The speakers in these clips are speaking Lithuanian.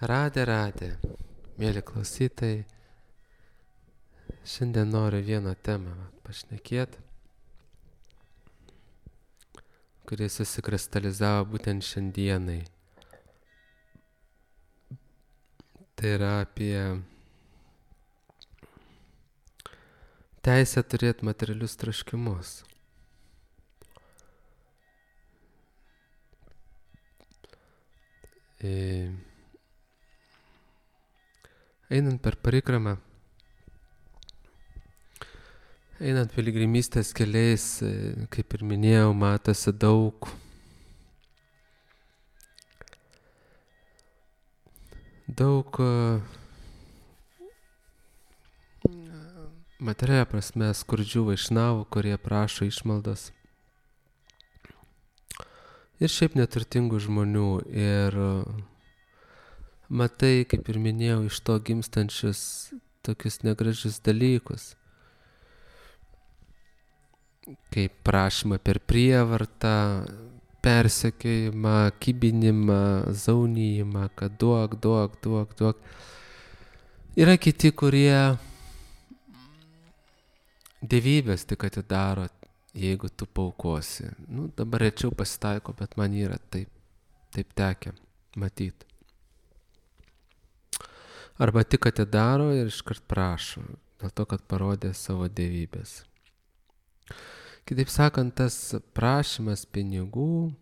Radė, mėly klausytojai, šiandien noriu vieną temą pašnekėti, kuri susikristalizavo būtent šiandienai. Tai yra apie teisę turėti materialius troškimus. Einant per parikramą, einant piligrimystės keliais, kaip ir minėjau, matosi daug materialia prasme skurdžių vaišnavų, kurie prašo išmaldos. Ir šiaip neturtingų žmonių. Ir matai, kaip ir minėjau, iš to gimstančius tokius negražius dalykus. Kaip prašymą per prievartą, persekiojimą, kibinimą, zaunijimą, kad duok. Yra kiti, kurie dievybės tik atidaro, jeigu tu paukosi. Dabar rečiau pasitaiko, bet man yra taip tekę matyti. Arba tik atidaro ir iškart prašo, dėl to, kad parodė savo dievybės. Kitaip sakant, tas prašymas pinigų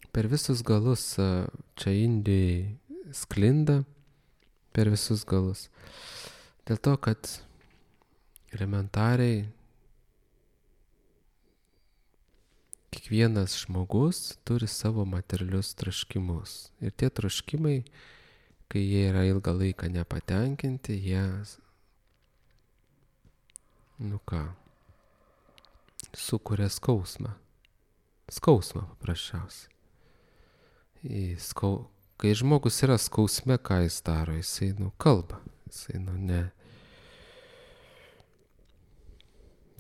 per visus galus čia Indijai sklinda, per visus galus. Dėl to, kad elementariai kiekvienas žmogus turi savo materialius troškimus. Ir tie troškimai, kai jie yra ilgą laiką nepatenkinti, jie, sukuria skausmą. Skausmą paprasčiausiai. Kai žmogus yra skausme, ką jis daro? Jisai kalba. Jisai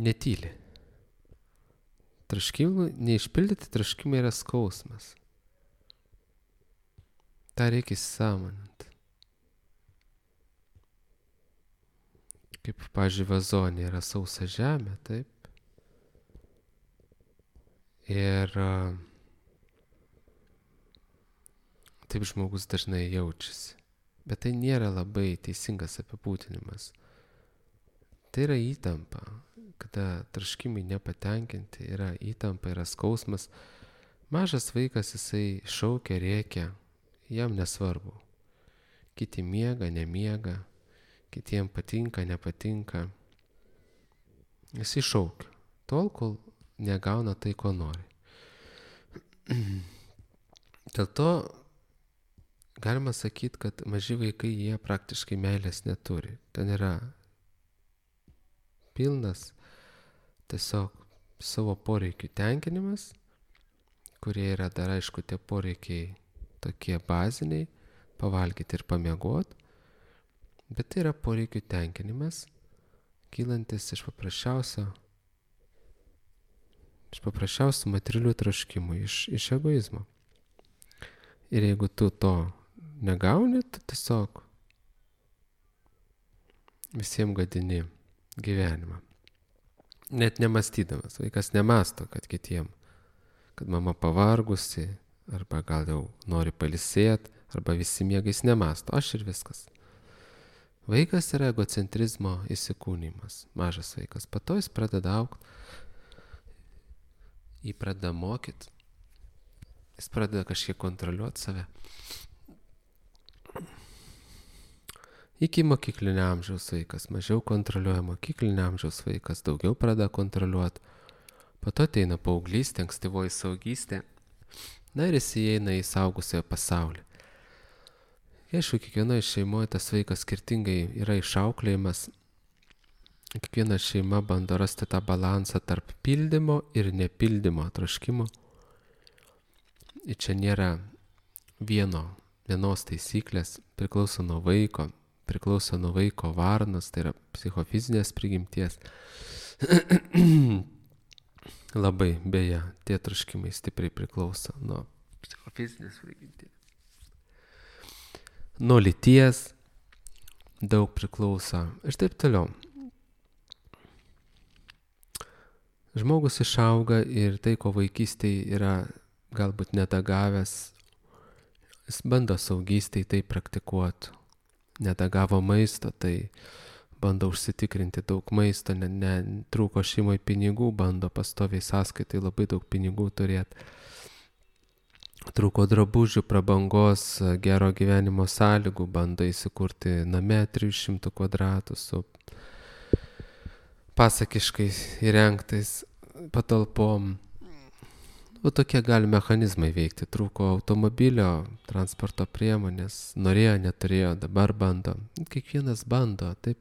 netyli. Neišpildyti troškimai yra skausmas. Ta reikia įsisąmoninti. Kaip, pavyzdžiui, vazonė yra sausa žemė, taip? Ir taip žmogus dažnai jaučiasi. Bet tai nėra labai teisingas apibūdinimas. Tai yra įtampa. Kada troškimai nepatenkinti, yra įtampa, yra skausmas. Mažas vaikas, jisai šaukia, rėkia, jam nesvarbu. Kiti miega, nemiega, kitiem patinka, nepatinka. Jisai šaukia, tol, kol negauna tai, ko nori. Dėl to galima sakyti, kad maži vaikai, jie praktiškai meilės neturi. Ten yra pilnas tiesiog savo poreikių tenkinimas, kurie yra dar, aišku, tie poreikiai tokie baziniai, pavalgyti ir pamiegoti, bet tai yra poreikių tenkinimas, kylantis iš paprasčiausių materialių troškimų, iš egoizmo. Ir jeigu tu to negauni, tu tiesiog visiems gadini gyvenimą. Net nemąstydamas. Vaikas nemąsto, kad kitiem, kad mama pavargusi, arba gal jau nori pailsėti, arba visi miegais nemąsto. Aš ir viskas. Vaikas yra egocentrizmo įsikūnymas. Mažas vaikas. Po to jis pradeda augti. Jį pradeda mokyti. Jis pradeda kažkiek kontroliuoti save. Iki mokyklinio amžiaus vaikas mažiau kontroliuoja, mokyklinio amžiaus vaikas daugiau pradeda kontroliuoti. Po to ateina paauglystė, ankstyvoji suaugystė. Ir jis įeina į suaugusiojo pasaulį. Aišku, kiekvienoje šeimoje tas vaikas skirtingai yra išauklėjimas. Kiekviena šeima bando rasti tą balansą tarp pildymo ir nepildymo troškimo. Ir čia nėra vienos taisyklės, priklauso nuo vaiko varnos, tai yra psichofizinės prigimties. Labai, beje, tie troškimai stipriai priklauso nuo psichofizinės prigimties. nuo lyties daug priklauso ir taip toliau. Žmogus išauga ir tai, ko vaikystėje yra galbūt nedagavęs, jis bando saugystėje tai praktikuoti. Nedagavo maisto, tai bando užsitikrinti daug maisto, trūko šeimoje pinigų, bando pastoviai sąskaitai labai daug pinigų turėti. Trūko drabužių, prabangos, gero gyvenimo sąlygų, bando įsikurti name 300 kvadratų su pasakiškai įrengtais patalpom. Tokie gali mechanizmai veikti. Trūko automobilio, transporto priemonės, norėjo, neturėjo, dabar bando. Kiekvienas bando taip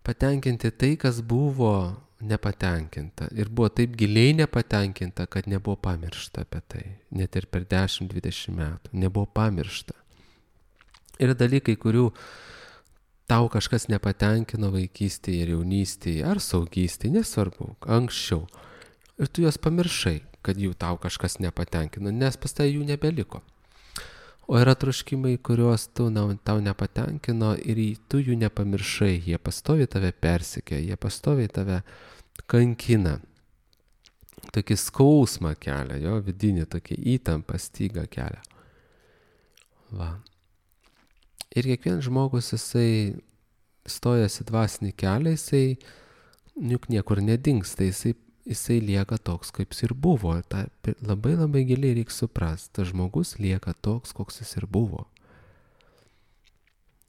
patenkinti tai, kas buvo nepatenkinta. Ir buvo taip giliai nepatenkinta, kad nebuvo pamiršta apie tai. Net ir per 10-20 metų. Nebuvo pamiršta. Yra dalykai, kurių tau kažkas nepatenkino vaikystėje ir jaunystėje, ar saugystėje, nesvarbu, anksčiau. Ir tu juos pamiršai, kad jų tau kažkas nepatenkino, nes pas tai jų nebeliko. O yra troškimai, kuriuos tau nepatenkino ir tu jų nepamiršai, jie pastoviai tave persekioja, jie pastoviai tave kankina. Tokį skausmą kelia, jo vidinį, tokį įtampą, stygą kelia. Va. Ir kiekvienas žmogus, jisai stojasi dvasinį kelią, jisai juk niekur nedingsta, jisai lieka toks, kaip jis ir buvo. Ta labai labai giliai reikia suprasti, tas žmogus lieka toks, koks jis ir buvo.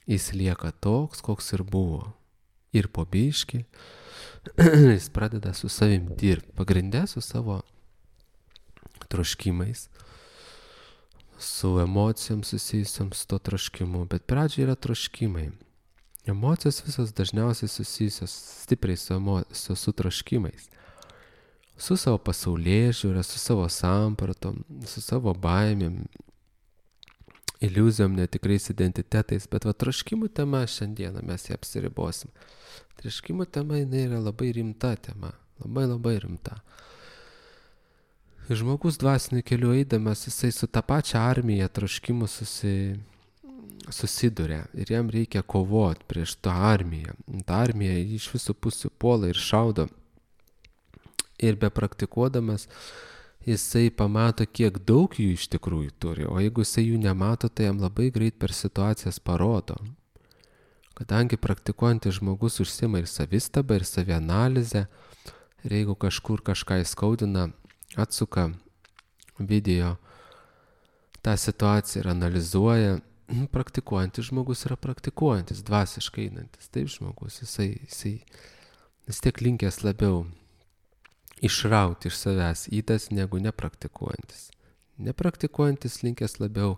Jis lieka toks, koks ir buvo. Ir po biškį jis pradeda su savim dirbti, pagrindę su savo troškimais, su emocijom susijusiam su to troškimu, bet pradžioje yra troškimai. Emocijos visos dažniausiai susijusios stipriai su troškimais. Su savo pasaulėžiūra, su savo sampratom, su savo baimėm, iliuzijom, netikrais identitetais, bet troškimų tema šiandieną mes ją apsiribosim. Troškimų tema jinai yra labai rimta tema, labai labai rimta. Žmogus dvasiniu keliu eidamas, jisai su tą pačią armiją troškimų susiduria ir jam reikia kovoti prieš tą armiją. Ta armija iš visų pusių puola ir šaudo. Ir bepraktikuodamas, jisai pamato, kiek daug jų iš tikrųjų turi. O jeigu jisai jų nemato, tai jam labai greit per situacijas parodo. Kadangi praktikuojantis žmogus užsima ir savistabą, ir savianalizę, ir jeigu kažkur kažką įskaudina, atsuka video tą situaciją ir analizuoja, praktikuojantis žmogus yra praktikuojantis, dvasiškai einantis. Taip žmogus, jisai vis tiek linkęs labiau išrauti iš savęs įdas negu nepraktikuojantis. Nepraktikuojantis linkęs labiau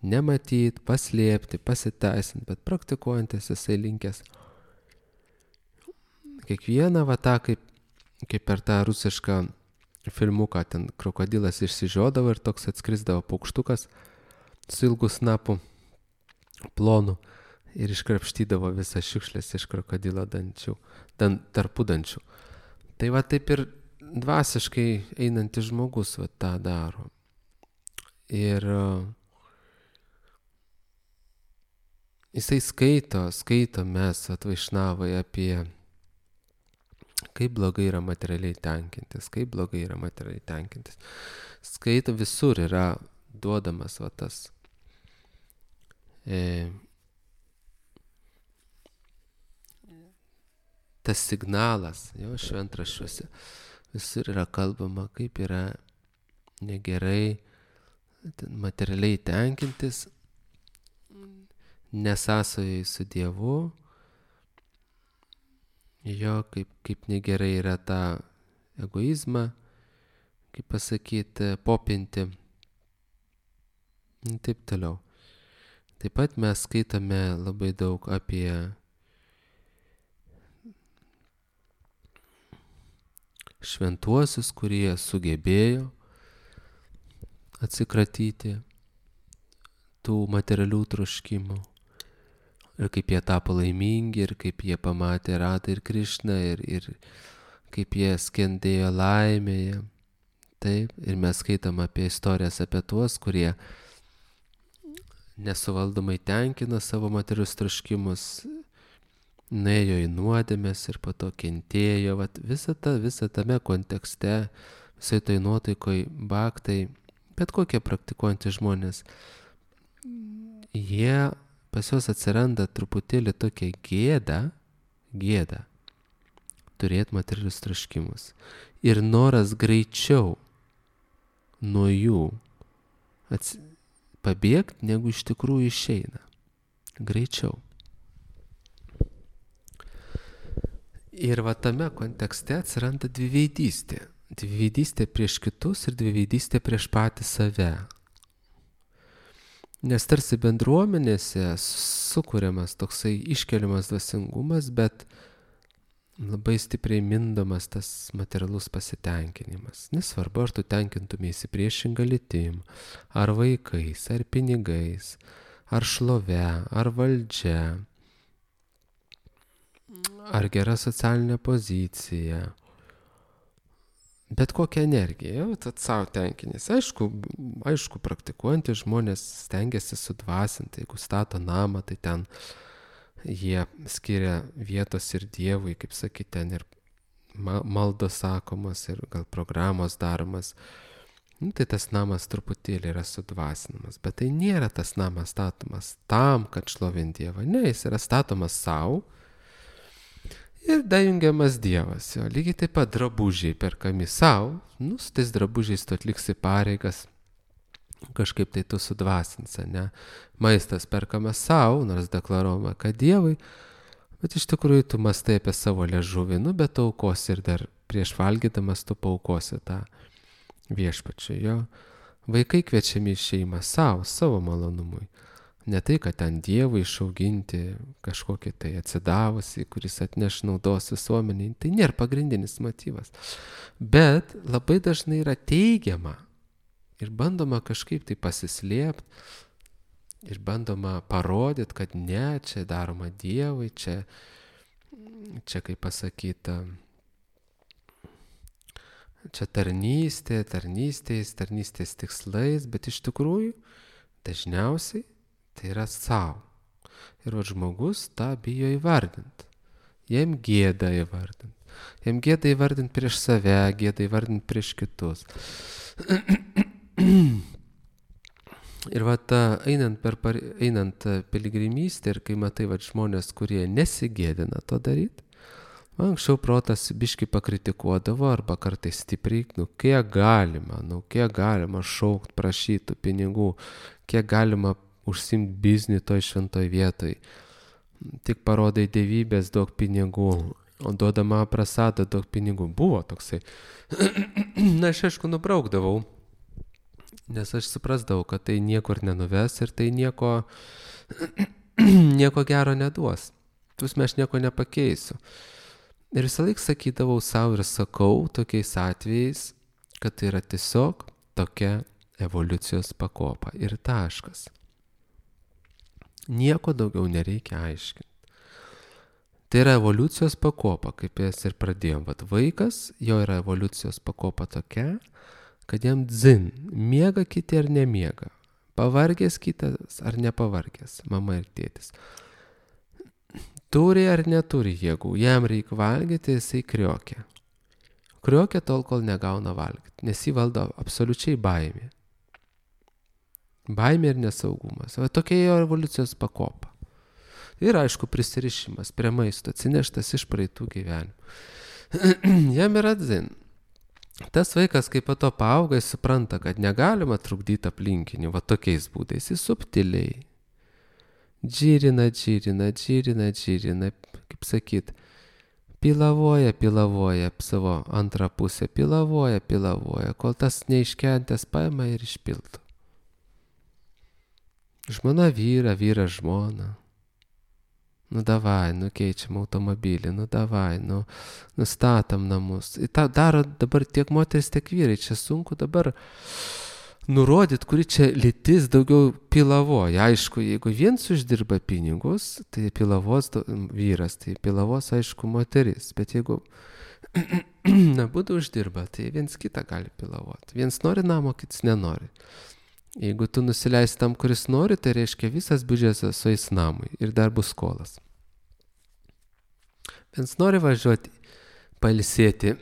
nematyti, paslėpti, pasiteisinti, bet praktikuojantis jisai linkęs kiekvieną tą, kaip per tą rusišką filmuką, ten krokodilas išsižiodavo ir toks atskrisdavo paukštukas su ilgu snapu plonu ir iškrapštydavo visą šiukšlės iš krokodilo dančių, tarpudančių. Tai taip ir dvasiškai einantis žmogus tą daro. Ir jisai skaito mes Vaišnavai apie kaip blogai yra materialiai tenkintis, Skaito, visur yra duodamas tas signalas, jo šventraščiuose. Visur yra kalbama, kaip yra negerai materialiai tenkintis, nesąsojai su Dievu, jo kaip negerai yra tą egoizmą, kaip pasakyti, popinti, taip toliau. Taip pat mes skaitome labai daug apie šventuosius, kurie sugebėjo atsikratyti tų materialių troškimų. Ir kaip jie tapo laimingi, ir kaip jie pamatė Radhą ir Krišną, ir kaip jie skendėjo laimėje. Taip, ir mes skaitom apie istorijas apie tuos, kurie nesuvaldomai tenkino savo materialius troškimus, nuėjo į nuodėmes ir po to kentėjo. Vat visa tame kontekste, visai tai nuotaikoj bhaktai, bet kokie praktikuojantys žmonės, pas juos atsiranda truputėlį tokia gėda turėti materialius troškimus. Ir noras greičiau nuo jų pabėgti, negu iš tikrųjų išeina. Greičiau. Ir va tame kontekste atsiranda dviveidystė. Dviveidystė prieš kitus ir dviveidystė prieš patį save. Nes tarsi bendruomenėse sukuriamas toksai iškeliamas dvasingumas, bet labai stipriai mindomas tas materialus pasitenkinimas. Nesvarbu, ar tu tenkintumėsi priešingą lytim, ar vaikais, ar pinigais, ar šlove, ar valdžia, ar gera socialinė pozicija. Bet kokią energiją, tad savo tenkinės. Aišku, praktikuojantys žmonės stengiasi sudvasinti. Jeigu stato namą, tai ten jie skiria vietos ir Dievui, kaip sakyti, ten ir maldos sakomos, ir gal programos daromas. Tai tas namas truputėlį yra sudvasinamas. Bet tai nėra tas namas statomas tam, kad šlovint Dievą. Ne, jis yra statomas savo. Ir dajungiamas Dievas. Lygiai taip pat drabužiai perkami savo. Su tais drabužiais tu atliksi pareigas. Kažkaip tai tu sudvasinsi, ne? Maistas perkamas savo, nors deklaruojama, kad Dievui. Bet iš tikrųjų tu mastai apie savo liežuvį. Bet tu aukosi ir dar prieš valgydamas tu paukosi tą viešpačiui. Jo. Vaikai kviečiami į šeimą savo malonumui. Ne tai, kad ten Dievui išauginti kažkokį tai atsidavusi, kuris atneš naudos visuomeniai. Tai nėra pagrindinis motyvas. Bet labai dažnai yra teigiama ir bandoma kažkaip tai pasislėpti ir bandoma parodyti, kad ne, čia daroma Dievui, čia kaip pasakyta, čia tarnystės tikslais, bet iš tikrųjų dažniausiai tai yra savo. Ir žmogus tą bijo įvardinti. Jiem gėda įvardinti. Jiem gėda įvardinti prieš save, gėda įvardinti prieš kitus. Ir einant piligrimystę ir kai matai žmonės, kurie nesigėdina to daryti, anksčiau protas biškį pakritikuodavo arba kartais stipriai, kiek galima šaukt, prašytų pinigų, kiek galima užsimti biznį toj šventoj vietoj. Tik parodai dievybės, duok pinigų, o duodama prasadą, duok pinigų. Buvo toksai. Na, aš aišku nubraukdavau, nes aš suprasdavau, kad tai niekur nenuves ir tai nieko gero neduos. Tusme aš nieko nepakeisiu. Ir visą laiką sakydavau savo ir sakau tokiais atvejais, kad tai yra tiesiog tokia evoliucijos pakopa ir taškas. Nieko daugiau nereikia aiškinti. Tai yra evoliucijos pakopa, kaip jas ir pradėjom. Vaikas, jo yra evoliucijos pakopa tokia, kad jam dzin, miega kiti ar nemiega, pavargęs kitas ar nepavargęs, mama ir tėtis. Turi ar neturi jėgų, jam reikia valgyti, jisai kriokia. Kriokia tol, kol negauna valgyti, nes jį valdo absoliučiai baimė. Baimė ir nesaugumas. Tokia jo evoliucijos pakopa. Ir aišku prisirišimas prie maisto, atsineštas iš praeitų gyvenimų. Jam yra dzin. Tas vaikas, kaip po to paauga, jis supranta, kad negalima trukdyti aplinkinių, tokiais būdais, jis subtiliai. Džirina, kaip sakyt, pilavoja savo antrą pusę, pilavoja, kol tas neiškentęs paima ir išpildo. Žmona vyras žmona. Davai, keičiam automobilį, davai, nustatom namus. Ir tą daro dabar tiek moteris, tiek vyrai. Čia sunku dabar nurodyti, kuri čia lytis daugiau pilavoja. Aišku, jeigu viens uždirba pinigus, tai pilavos vyras, tai pilavos, aišku, moteris. Bet jeigu abudu uždirba, tai viens kitą gali pilavoti. Viens nori namo, kitas nenori. Jeigu tu nusileisi tam, kuris nori, tai reiškia visas biudžetas sueis namui ir dar bus skolas. Vienas nori važiuoti pailsėti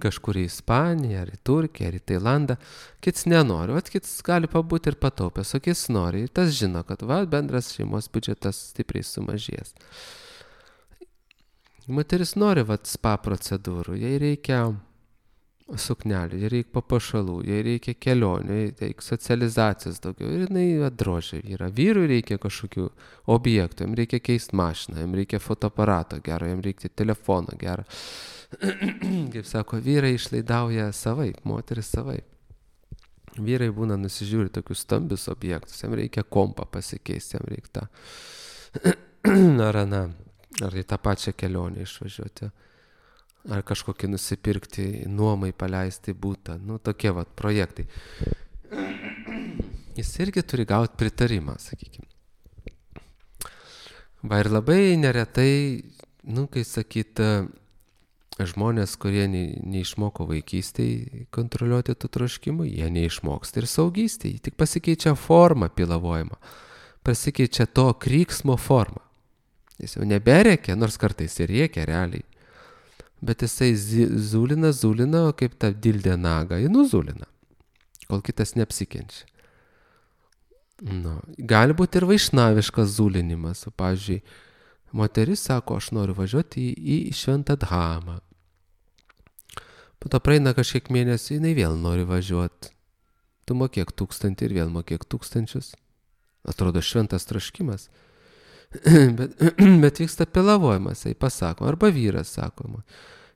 kažkur į Ispaniją, ar į Turkiją, ar į Tailandą, kits nenori, kits gali pabūti ir pataupęs, o kits nori. Ir tas žino, kad bendras šeimos biudžetas stipriai sumažės. Moteris nori spa procedūrų, jai reikia suknelių, jai reikia papuošalų, jai reikia kelionių, jai reikia socializacijos daugiau. Ir jinai drožia vyrą. Vyrui reikia kažkokių objektų, jam reikia keisti mašiną, jam reikia fotoaparato gero, jam reikia telefono gero. Kaip sako, vyrai išlaidauja savaip, moteris savaip. Vyrai būna nusižiūri tokius stambius objektus, jam reikia kompą pasikeisti, jam reikia ar į tą pačią kelionę išvažiuoti. Ar kažkokį nusipirkti, nuomai paleisti būtą. Tokie projektai. Jis irgi turi gauti pritarimą, sakykime. Ir labai neretai, kai sakyt, žmonės, kurie neišmoko vaikystėje kontroliuoti tų troškimų, jie neišmoksta ir saugystėje. Tik pasikeičia forma pilavojimo. Pasikeičia to kryksmo forma. Jis jau neberėkia, nors kartais ir rėkia realiai. Bet jisai zulina, o kaip ta dildė naga, jį nuzulina, kol kitas neapsikenčia. Gali būti ir vaišnaviškas zulinimas. Pavyzdžiui, moteris sako, aš noriu važiuoti į Šventą Dhamą. Po to praeina kažkiek mėnesių, jinai vėl nori važiuoti. Tu mokėk 1000 ir vėl mokėk 1000. Atrodo šventas troškimas. Bet vyksta pilavojimas, jai pasako, arba vyras sako,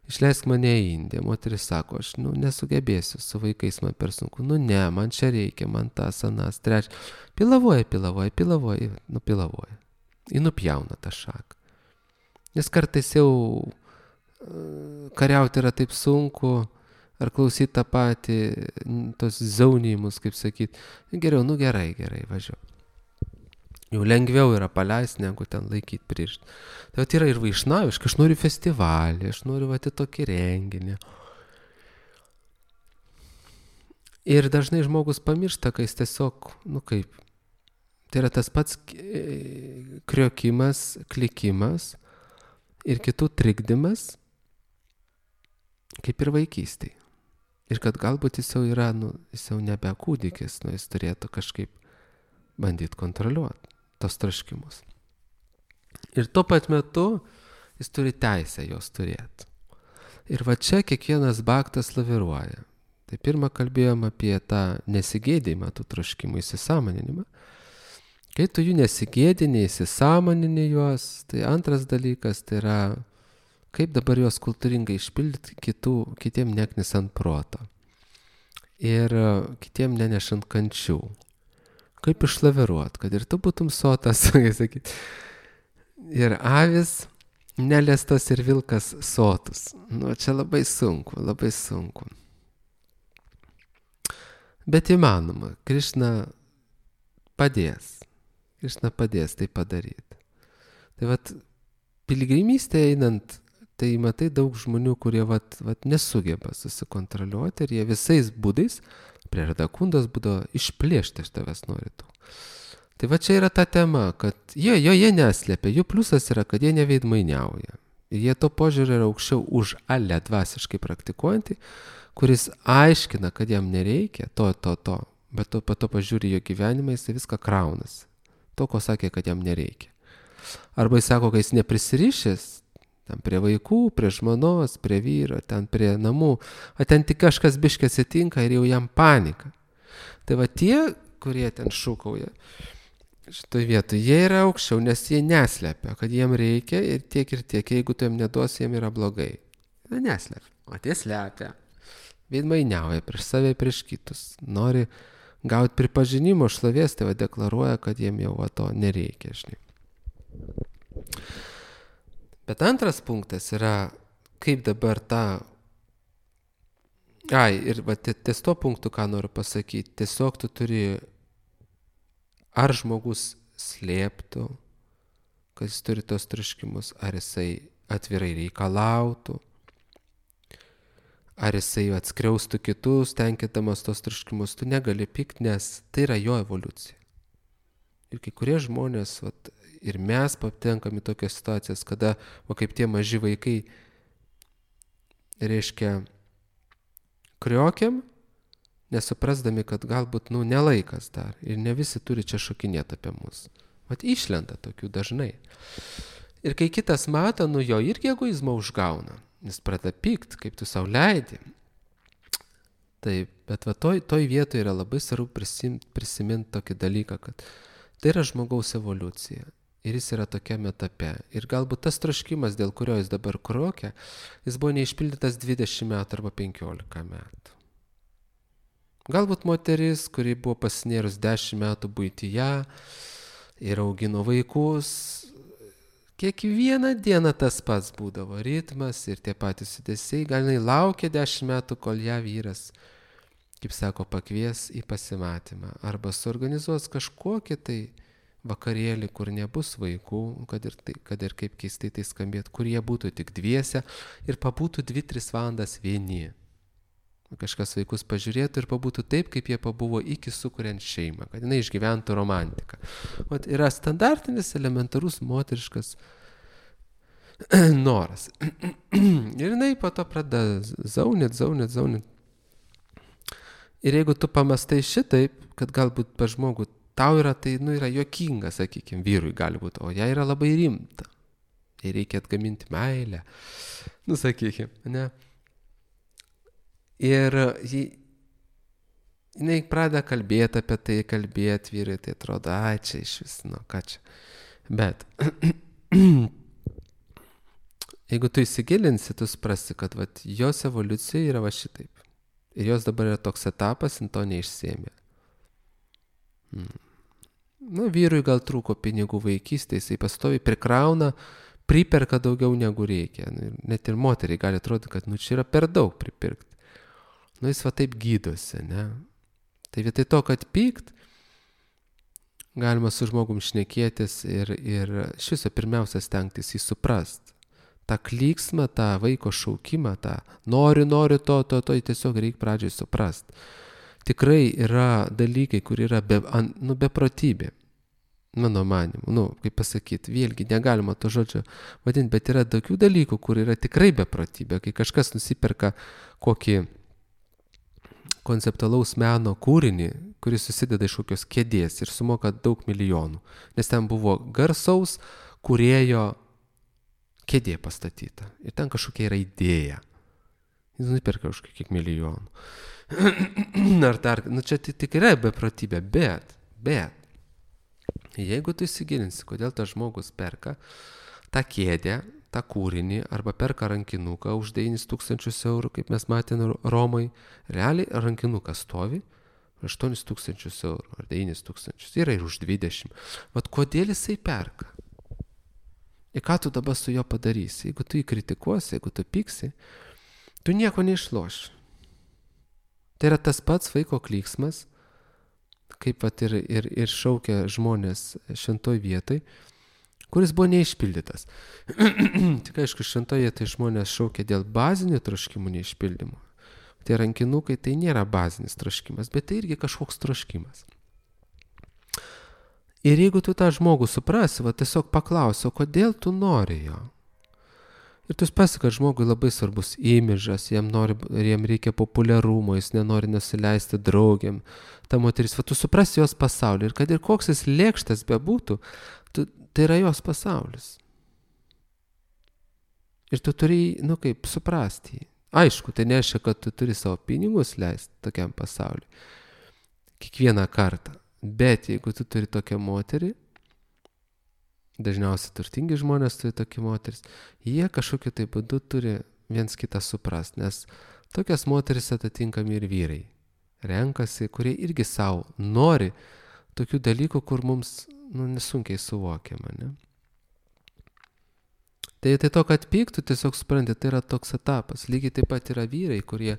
išleisk mane į Indiją, moteris sako, aš nesugebėsiu, su vaikais man per sunku, ne, man čia reikia, man tas, anas, trečias, pilavoja, ji nupjauna tą šaką. Nes kartais jau kariauti yra taip sunku, ar klausyti tą patį, tos zaunimus, kaip sakyti, geriau, gerai, važiuoju. Jau lengviau yra paleisti, negu ten laikyti pririšti. Tai yra ir vaišnaviška, aš noriu festivalį, aš noriu į tokį renginį. Ir dažnai žmogus pamiršta, kai jis tiesiog, tai yra tas pats kriokimas, klikimas ir kitų trikdymas, kaip ir vaikystėje. Ir kad galbūt jis jau yra, jis jau nebe kūdikis, jis turėtų kažkaip bandyti kontroliuoti tos troškimus. Ir tuo pat metu jis turi teisę jos turėti. Ir čia kiekvienas baktas laviruoja. Tai pirmą kalbėjom apie tą nesigėdimą tų troškimų, įsisąmoninimą. Kai tu jų nesigėdini, įsisąmonini juos, tai antras dalykas tai yra, kaip dabar juos kultūringai išpildyti kitiem neknisant proto. Ir kitiem nenešant kančių. Kaip išlaviruot, kad ir tu būtum sotas, sakyt. Ir avis neliestas ir vilkas sotus. Čia labai sunku. Bet įmanoma, Krišna padės tai padaryti. Tai piligrimystė einant, tai matai daug žmonių, kurie nesugeba susikontroliuoti ir jie visais būdais prie Radakundos būdo išplėšti iš tavęs nori tų. Tai čia yra ta tema, kad jie neslėpia, jų pliusas yra, kad jie neveidmainiauja. Ir jie to požiūrį yra aukščiau už Ale dvasiškai praktikuojantį, kuris aiškina, kad jam nereikia to, bet po to pažiūri jo gyvenimą, jis viską kraunas. To, ko sakė, kad jam nereikia. Arba jis sako, kad jis neprisirišęs, ten prie vaikų, prie žmonos, prie vyro, ten prie namų, o ten tik kažkas biškai atsitinka ir jau jam panika. Tai tie, kurie ten šūkauja šitoje vietoje, jie yra aukščiau, nes jie neslepia, kad jiem reikia ir tiek, jeigu tu jam neduosi, jiem yra blogai. Neslepia, o tie slepia, veidmainiauja prieš save, prieš kitus, nori gauti pripažinimo, šlovės, tai deklaruoja, kad jiem jau to nereikia, žinai. Bet antras punktas yra, kaip dabar ir ties to punktu, ką noriu pasakyti, tiesiog tu turi, ar žmogus slėptų, kad jis turi tos troškimus, ar jisai atvirai reikalautų, ar jisai atskriaustų kitus, tenkindamas tos troškimus, tu negali pykti, nes tai yra jo evoliucija. Ir kai kurie žmonės, ir mes patenkam į tokias situacijas, kada, kaip tie maži vaikai, reiškia, kriokiam, nesuprasdami, kad galbūt, nelaikas dar. Ir ne visi turi čia šokinėti apie mus. Išlenda tokių dažnai. Ir kai kitas mato, jo irgi egoizmo užgauna. Jis pradeda pykt, kaip tu sau leidi. Taip, bet toj vietoje yra labai svarbu prisiminti tokį dalyką, kad tai yra žmogaus evoliucija. Ir jis yra tokiame etape. Ir galbūt tas troškimas, dėl kurio jis dabar krokia, jis buvo neišpildytas 20 metų arba 15 metų. Galbūt moteris, kuri buvo pasinėrus 10 metų buityje ir augino vaikus, kiekvieną dieną tas pats būdavo ritmas ir tie patys judesiai, gal jinai laukia 10 metų, kol ją vyras, kaip sako, pakvies į pasimatymą arba suorganizuos kažkokį tai vakarėlį, kur nebus vaikų, kad ir kaip keistai tai skambėtų, kur jie būtų tik dviese ir pabūtų 2-3 valandas vieni. Kažkas vaikus pažiūrėtų ir pabūtų taip, kaip jie pabuvo iki sukuriant šeimą, kad jinai išgyventų romantiką. Yra standartinis, elementarus, moteriškas noras. Ir jinai po to pradeda zaunit. Ir jeigu tu pamastai šitaip, kad galbūt pa žmogų tau yra, tai yra juokinga, sakykime, vyrui gali būti, o jai yra labai rimta. Jai reikia atgaminti meilę. Sakykime, ne? Ir jinai pradeda kalbėti apie tai, vyrai, tai atrodo, čia iš vis, ką čia. Bet jeigu tu įsigilinsi, tu suprasi, kad jos evoliucija yra šitaip. Ir jos dabar yra toks etapas, jin to neišsėmė. Vyrui gal trūko pinigų vaikystėje, jisai pastoviai prikrauna, priperka daugiau negu reikia. Net ir moteriai gali atrodyti, kad čia yra per daug pripirkti. Jis taip gydosi, ne? Tai vietoj to, kad pykt, galima su žmogum šnekėtis ir iš viso pirmiausia stengtis jį suprast. Ta klyksmą, tą vaiko šaukimą, tą noriu to, tiesiog reikia pradžiai suprast. Tikrai yra dalykai, kur yra beprotybė, mano manimu. Kaip pasakyti, vėlgi negalima to žodžio vadinti, bet yra tokių dalykų, kur yra tikrai beprotybė, kai kažkas nusiperka kokį konceptualaus meno kūrinį, kuris susideda iš kokios kėdės ir sumoka daug milijonų. Nes ten buvo garsaus kūrėjo kėdė pastatyta. Ir ten kažkokia yra idėja. Jis nuperka už kiek milijonų. Ar dar, čia tik yra beprotybė, bet jeigu tu įsigilinsi, kodėl tas žmogus perka tą kėdę, tą kūrinį, arba perka rankinuką už 9 000 eurų, kaip mes matėme Romai, realiai rankinukas stovi 8 000 eurų ar 9 000, yra ir už 20. Kodėl jisai perka? Ir ką tu dabar su juo padarysi? Jeigu tu jį kritikuosi, jeigu tu pyksi, tu nieko neišloši. Tai yra tas pats vaiko klyksmas, kaip ir šaukia žmonės šventoj vietoj, kuris buvo neišpildytas. Tik aišku, šventoje tai žmonės šaukia dėl bazinių troškimų neišpildymų. Tie rankinukai tai nėra bazinis troškimas, bet tai irgi kažkoks troškimas. Ir jeigu tu tą žmogų suprasi, tiesiog paklausi, kodėl tu nori jo? Ir tu suprasi, kad žmogui labai svarbus imidžas, jam reikia populiarumo, jis nenori nusileisti draugėm. Ta moteris, tu suprasi jos pasaulį ir kad ir koks jis lėkštas bebūtų, tai yra jos pasaulis. Ir tu turi, suprasti jį. Aišku, tai nereiškia, kad tu turi savo pinigus leisti tokiam pasauliui. Kiekvieną kartą. Bet jeigu tu turi tokią moterį, dažniausiai turtingi žmonės turi tokią moteris, jie kažkokiu tai būdu turi viens kitą suprast, nes tokias moteris atitinkami ir vyrai renkasi, kurie irgi savo nori tokių dalykų, kur mums nesunkiai suvokiama, ne? Tai to, kad pyktų, tiesiog supranti, tai yra toks etapas. Lygiai taip pat yra vyrai, kurie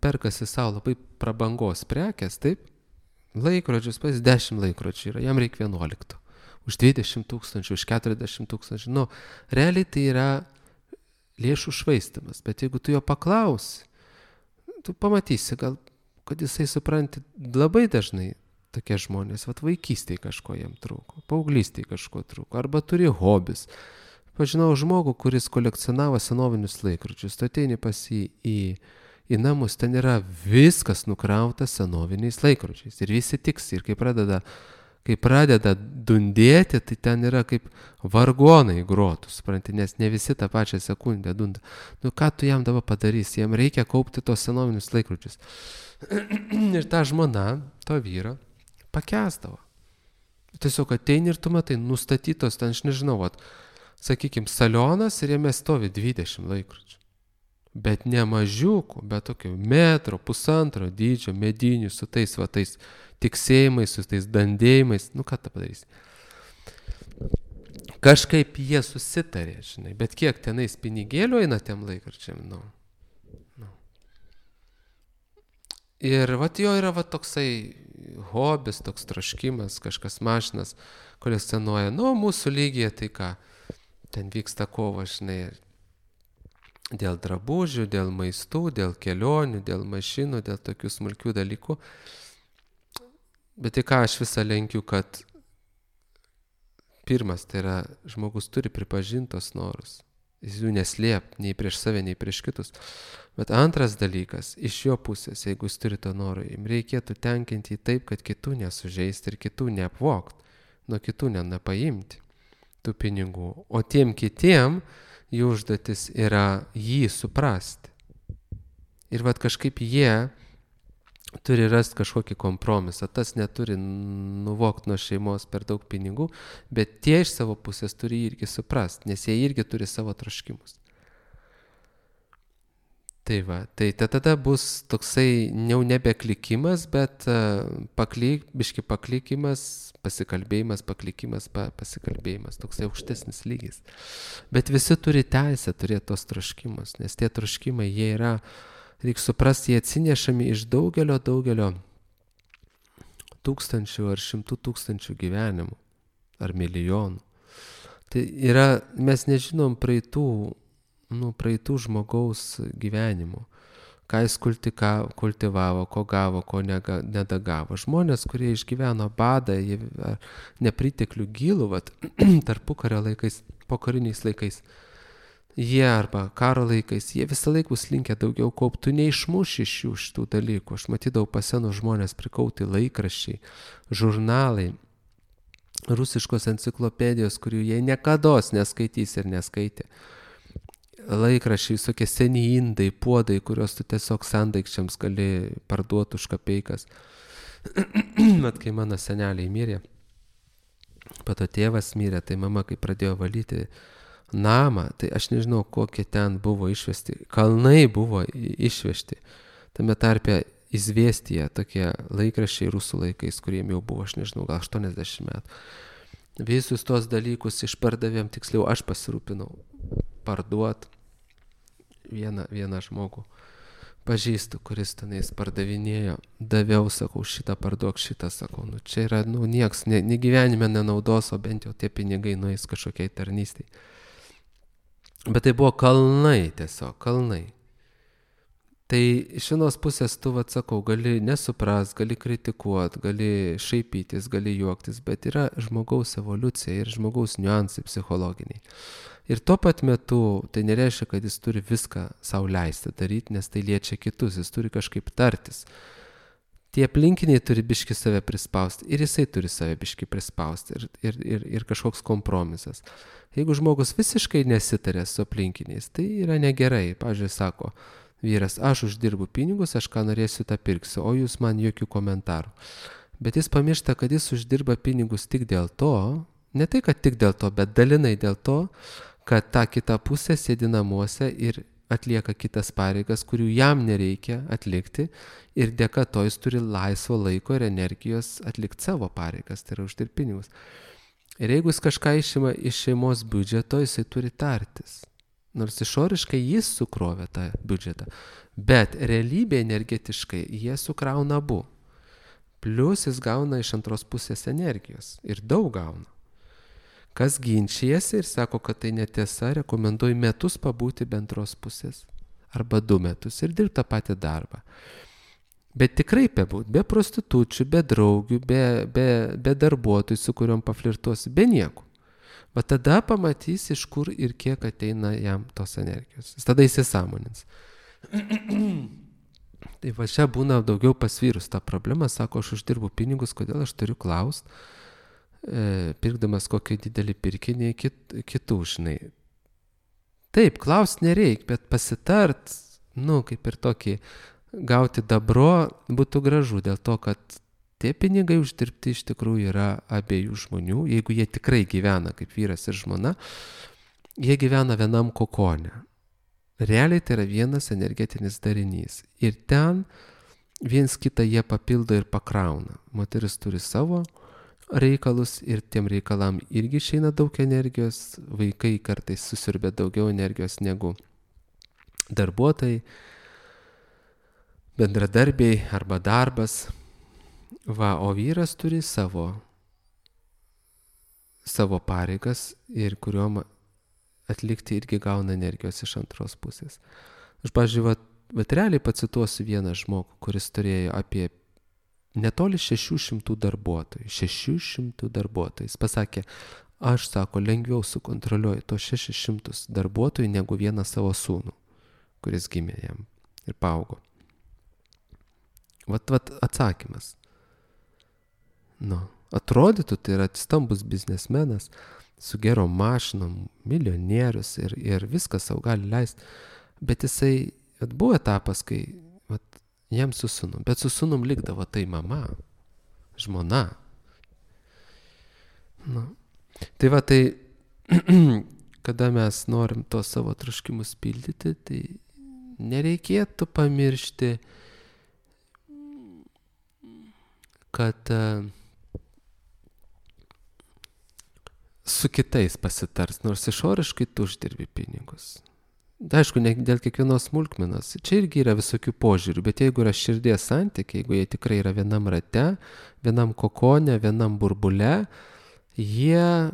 perkasi savo labai prabangos prekės, taip? Laikrodžius, 10 laikrodžių yra, jam reikia 11. Už 20 000, už 40 000. Realiai tai yra lėšų švaistimas. Bet jeigu tu jo paklausi, tu pamatysi gal, kad jisai supranti labai dažnai tokie žmonės, vaikystėje kažko jam trūko, paauglystėje kažko trūko, arba turi hobis. Pažinau žmogų, kuris kolekcionavo senovinius laikrodžius, tu ateini pas jį į namus, ten yra viskas nukrauta senoviniais laikrodžiais ir visi tiksi ir kai pradeda dundėti, tai ten yra kaip vargonai grotų, supranti, nes ne visi tą pačią sekundę dunda. Nu ką tu jam dabar padarysi, jam reikia kaupti tos senovinius laikrodžius. Ir ta žmona, to vyro, pakęsdavo. Tiesiog ateini ir tu matai, nustatytos ten, aš nežinau, sakykime, salionas ir jame stovi 20 laikrodžių. Bet ne mažiukų, bet tokio metro, pusantro dydžio, medinių, su tais tiksėjimais, su tais dandėjimais. Nu ką tą padarysi? Kažkaip jie susitarė, žinai, bet kiek tenais pinigėlių eina tiem laikrodžiam, nu. Ir jo yra toksai hobis, toks troškimas, kažkas mašinas kolekcionuoja. Nu, mūsų lygyje tai ką, ten vyksta kova, žinai, dėl drabužių, dėl maistų, dėl kelionių, dėl mašinų, dėl tokių smulkių dalykų. Bet tai ką aš visą lenkiu, kad pirmas, tai yra, žmogus turi pripažinti tos norus. Jis jų neslėp, nei prieš save, nei prieš kitus. Bet antras dalykas, iš jo pusės, jeigu jis turi to noro, jam reikėtų tenkinti taip, kad kitų nesužeisti ir kitų neapvokt, nuo kitų nepaimti tų pinigų. O tiem kitiem jų užduotis yra jį suprasti. Ir kažkaip jie turi rasti kažkokį kompromisą. Tas neturi nuvokti nuo šeimos per daug pinigų, bet tie iš savo pusės turi irgi suprasti, nes jie irgi turi savo troškimus. Tai tada bus toksai jau nebe klikimas, bet biški paklikimas, pasikalbėjimas, paklikimas, pasikalbėjimas, toksai aukštesnis lygis. Bet visi turi teisę turėti tos troškimus, nes tie troškimai, jie yra, reikia suprasti, jie atsinešami iš daugelio tūkstančių ar 100 000 gyvenimų, ar milijonų. Tai yra, mes nežinom praeitų žmogaus gyvenimų, ką jis kultivavo, ko gavo, ko nedagavo. Žmonės, kurie išgyveno badą, nepriteklių gilų, tarpukario laikais, pokariniais laikais, jie arba karo laikais, jie visą laiką bus linkę daugiau kauptų, neišmuš iš jų šitų dalykų. Aš matydavau pasenų žmonės prikauti laikraščiai, žurnalai, rusiškos enciklopedijos, kurių jie niekados neskaitys ir neskaitė. Laikraščiai, visokie seni indai, puodai, kuriuos tu tiesiog sandaikčiams gali parduoti už kapeikas. Mat, kai mano seneliai mirė, pato tėvas mirė, tai mama, kai pradėjo valyti namą, tai aš nežinau, kokie ten buvo išvesti. Kalnai buvo išvežti. Tame tarpe Izvėstyje tokie laikraščiai rusų laikais, kuriem jau buvo, aš nežinau, gal 80 metų. Visus tos dalykus išpardavėm, tiksliau aš pasirūpinau parduot vieną žmogų. Pažįstu, kuris tenais pardavinėjo, daviau, sakau, šitą parduok, šitą, sakau, čia yra, nieks, ne gyvenime nenaudos, o bent jau tie pinigai nueis kažkokiai tarnystei. Bet tai buvo kalnai, tiesiog, kalnai. Tai iš vienos pusės tu, sakau, gali nesupras, gali kritikuot, gali šaipytis, gali juoktis, bet yra žmogaus evoliucija ir žmogaus niuansai psichologiniai. Ir tuo pat metu tai nereiškia, kad jis turi viską sau leisti daryti, nes tai liečia kitus, jis turi kažkaip tartis. Tie aplinkiniai turi biški save prispausti ir jisai turi save biški prispausti ir kažkoks kompromisas. Jeigu žmogus visiškai nesitarė su aplinkiniais, tai yra negerai. Pavyzdžiui, sako vyras, aš uždirbu pinigus, aš ką norėsiu, tą pirksiu, o jūs man jokių komentarų. Bet jis pamiršta, kad jis uždirba pinigus tik dėl to, ne tai, kad tik dėl to, bet dalinai dėl to, kad ta kita pusė sėdi namuose ir atlieka kitas pareigas, kurių jam nereikia atlikti ir dėka to jis turi laisvo laiko ir energijos atlikti savo pareigas, tai yra uždirbti pinigus. Ir jeigu jis kažką išima iš šeimos biudžeto, jisai turi tartis. Nors išoriškai jis sukrovė tą biudžetą, bet realybė energetiškai jie sukrauna abu. Plius jis gauna iš antros pusės energijos ir daug gauna. Kas ginčijasi ir sako, kad tai netiesa, rekomenduoju metus pabūti bendros pusės. arba 2 metus ir dirbti tą patį darbą. Bet tikrai be prostitučių, be draugių, be darbuotojų, su kuriuom paflirtuosi, be nieko. Va tada pamatys, iš kur ir kiek ateina jam tos energijos. Jis tada įsisąmonins. Tai va čia būna daugiau pasvyrus tą problemą, sako, aš uždirbu pinigus, kodėl aš turiu klaust, pirkdamas kokį didelį pirkinį kitų, žinai. Taip, klaust nereik, bet pasitart, kaip ir tokį gauti dabro būtų gražu, dėl to, kad tie pinigai uždirbti iš tikrųjų yra abiejų žmonių. Jeigu jie tikrai gyvena kaip vyras ir žmona, jie gyvena vienam kokone. Realiai tai yra vienas energetinis darinys. Ir ten viens kitą jie papildo ir pakrauna. Moteris turi savo reikalus ir tiem reikalam irgi išeina daug energijos. Vaikai kartais susiurbia daugiau energijos negu darbuotojai, bendradarbiai arba darbas. O vyras turi savo pareigas ir kuriuom atlikti irgi gauna energijos iš antros pusės. Aš, pavyzdžiui, realiai pacituosiu vieną žmogų, kuris turėjo apie netoli 600 darbuotojų. 600 darbuotojų. Jis pasakė, aš, sako, lengviau sukontroliuoju tos 600 darbuotojų negu vieną savo sūnų, kuris gimė jam ir paaugo. Vat atsakymas. Atrodytų, tai yra stambus biznesmenas, su gerom mašinom, milijonierius ir viską savo gali leisti. Bet jisai, buvo etapas, kai jam su sūnum, bet su sūnum likdavo tai mama, žmona. Tai kada mes norim to savo troškimus pildyti, tai nereikėtų pamiršti, kad su kitais pasitars, nors išoriškai tu uždirbi pinigus. Aišku, ne dėl kiekvienos smulkmenos. Čia irgi yra visokių požiūrių, bet jeigu yra širdies santykiai, jeigu jie tikrai yra vienam rate, vienam kokone, vienam burbule, jie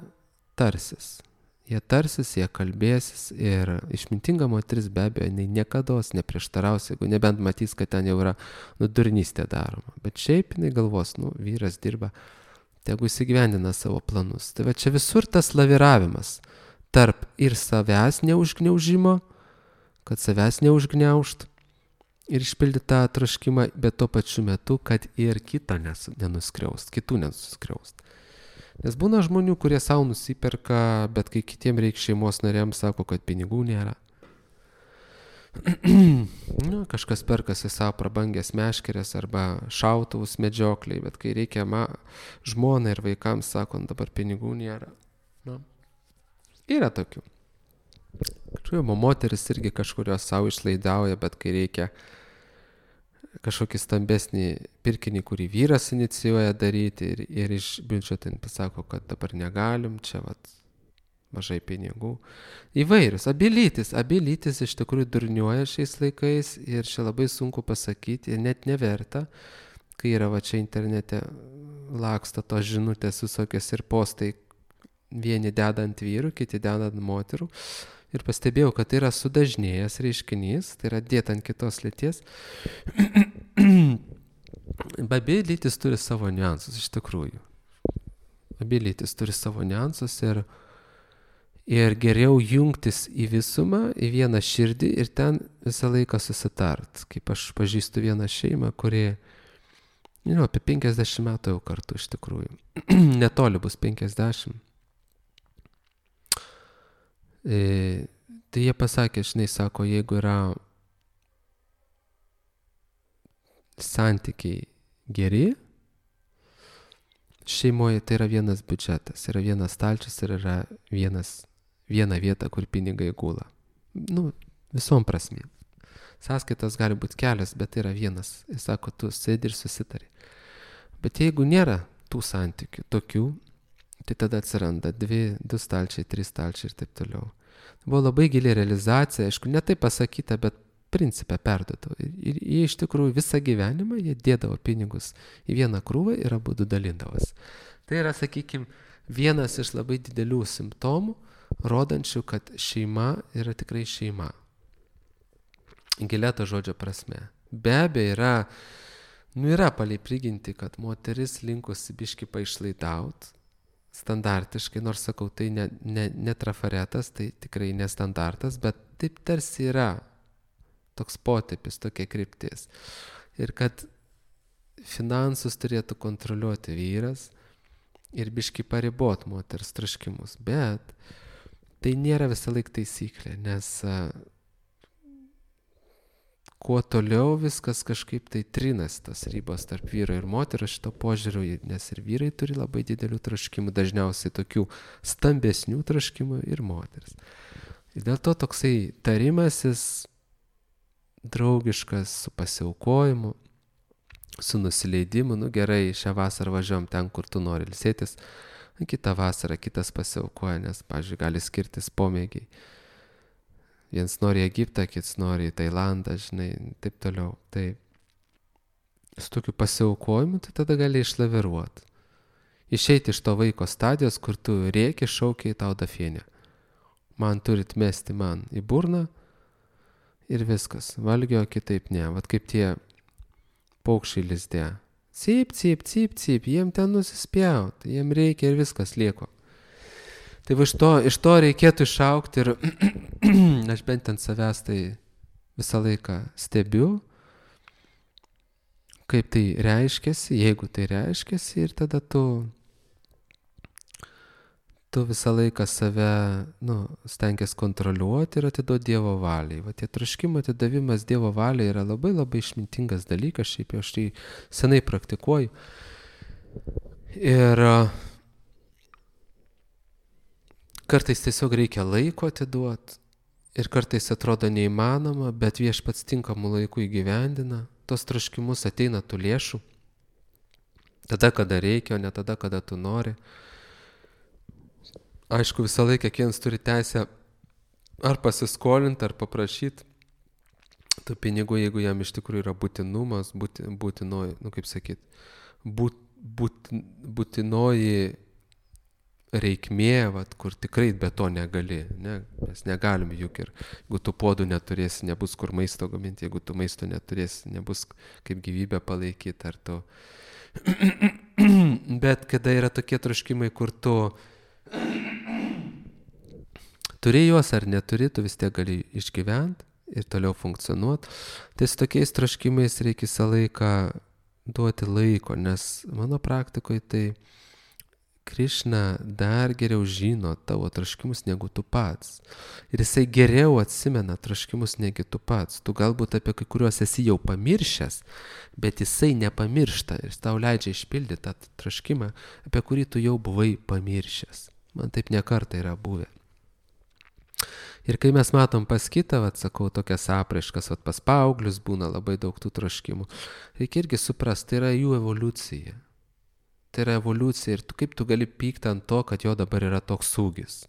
tarsis. Jie kalbėsis ir išmintinga moteris be abejo, jinai niekados neprieštaraus, jeigu nebent matys, kad ten jau yra durnystė daroma. Bet šiaip jinai galvos, vyras dirba, tegu įsigyvendina savo planus. Tai va čia visur tas laviravimas tarp ir savęs neužgniaužimo, kad savęs neužgniaužt ir išpildyti tą troškimą, bet tuo pačiu metu, kad ir kitą nenuskriaust, kitų nenuskriaust. Nes būna žmonių, kurie savo nusiperka, bet kai kitiem reikia šeimos nariams, sako, kad pinigų nėra. Kažkas perkasi savo prabangęs meškerės arba šautuvus medžiokliai, bet kai reikia žmonai ir vaikams, sako, dabar pinigų nėra. Yra tokių. Moteris irgi kažkurios savo išlaidauja, bet kai reikia kažkokį stambesnį pirkinį, kurį vyras inicijuoja daryti ir iš biudžeto pasako, kad dabar negalim, čia mažai pinigų. Įvairius. Abi lytis iš tikrųjų durniuoja šiais laikais ir čia labai sunku pasakyti, ir net neverta, kai yra čia internete laksta tos žinutės visokios ir postai, vieni deda ant vyrų, kiti deda ant moterų. Ir pastebėjau, kad tai yra sudažnėjęs reiškinys, tai yra dėta ant kitos lyties. Abi lytis turi savo niuansus, iš tikrųjų. Abi lytis turi savo niuansus ir geriau jungtis į visumą, į vieną širdį ir ten visą laiką susitart. Kaip aš pažįstu vieną šeimą, kuri, apie 50 metų jau kartu iš tikrųjų. Netoli bus 50. Tai jie pasakė, sako, jeigu yra santykiai geri, šeimoje tai yra vienas biudžetas, yra vienas stalčius ir yra viena vieta, kur pinigai gula. Visom prasmėm. Sąskaitos gali būti kelios, bet tai yra vienas. Jis sako, tu sėdi ir susitari. Bet jeigu nėra tų santykių tokių, tai tada atsiranda 2 stalčiai, 3 stalčiai ir taip toliau. Buvo labai gili realizacija, aišku, ne taip pasakyta, bet principą perduodavo. Ir jie iš tikrųjų visą gyvenimą jie dėdavo pinigus į vieną krūvą ir abudu dalindavos. Tai yra, sakykime, vienas iš labai didelių simptomų, rodančių, kad šeima yra tikrai šeima. gilia to žodžio prasme. Be abejo yra palei prigimtį, kad moteris linkusi biškį paišlaidauti standartiškai, nors sakau, tai ne trafaretas, tai tikrai nestandartas, bet taip tarsi yra toks potipis, tokia kryptis. Ir kad finansus turėtų kontroliuoti vyras ir biškį paribot moters troškimus, bet tai nėra visą laik taisyklė, nes kuo toliau viskas kažkaip tai trinas tas ribos tarp vyro ir moterio šito požiūriu, nes ir vyrai turi labai didelių troškimų, dažniausiai tokių stambesnių troškimų ir moteris. Ir dėl to toksai tarimasis draugiškas su pasiaukojimu, su nusileidimu, gerai, šią vasarą važiuojam ten, kur tu nori ilsėtis, kitą vasarą kitas pasiaukoja, nes, pavyzdžiui, gali skirtis pomėgiai. Vienas nori į Egiptą, kitas nori į Tailandą, žinai, taip toliau. Tai su tokiu pasiaukojimu, tai tada gali išlaviruoti. Išeiti iš to vaiko stadijos, kur tu rėki, šaukiai tau dafienė. Man turit mesti man į burną ir viskas. Valgio kitaip ne. Vat kaip tie paukščiai lizde. Cyp, cyp, cyp, cyp, jiem ten nusispjaut, jiem reikia ir viskas lieko. Tai iš to reikėtų išaukti ir aš bent ant savęs tai visą laiką stebiu, kaip tai reiškiasi, jeigu tai reiškiasi, ir tada tu visą laiką save stengiasi kontroliuoti ir atiduoti Dievo valiai. Va tie troškimo atidavimas Dievo valiai yra labai labai išmintingas dalykas, šiaip jau aš tai senai praktikuoju. Ir kartais tiesiog reikia laiko atiduoti ir kartais atrodo neįmanoma, bet Viešpats tinkamų laikų įgyvendina, tos troškimus ateina tų lėšų, tada, kada reikia, o ne tada, kada tu nori. Aišku, visą laiką kiekvienas turi teisę ar pasiskolinti, ar paprašyti tų pinigų, jeigu jam iš tikrųjų yra būtinumas, būtinoji, kaip sakyt, būtinoji reikmė, kur tikrai be to negali, ne? Mes negalim juk ir jeigu tu puodų neturėsi, nebus kur maisto gaminti, jeigu tu maisto neturėsi, nebus kaip gyvybę palaikyti, ar tu. Bet kada yra tokie troškimai, kur tu turi juos ar neturi, tu vis tiek gali išgyventi ir toliau funkcionuoti. Tai su tokiais troškimais reikia visą laiką duoti laiko, nes mano praktikoje tai Krišna dar geriau žino tavo troškimus negu tu pats. Ir jisai geriau atsimena troškimus negu tu pats. Tu galbūt apie kai kuriuos esi jau pamiršęs, bet jisai nepamiršta ir tau leidžia išpildyti tą troškimą, apie kurį tu jau buvai pamiršęs. Man taip ne kartą yra buvę. Ir kai mes matom pas kitą, sakau, tokias apraiškas, pas paauglius būna labai daug tų troškimų, reikia irgi suprasti, tai yra jų evoliucija. Tai yra evoliucija ir kaip tu gali pykti ant to, kad jo dabar yra toks ūgis.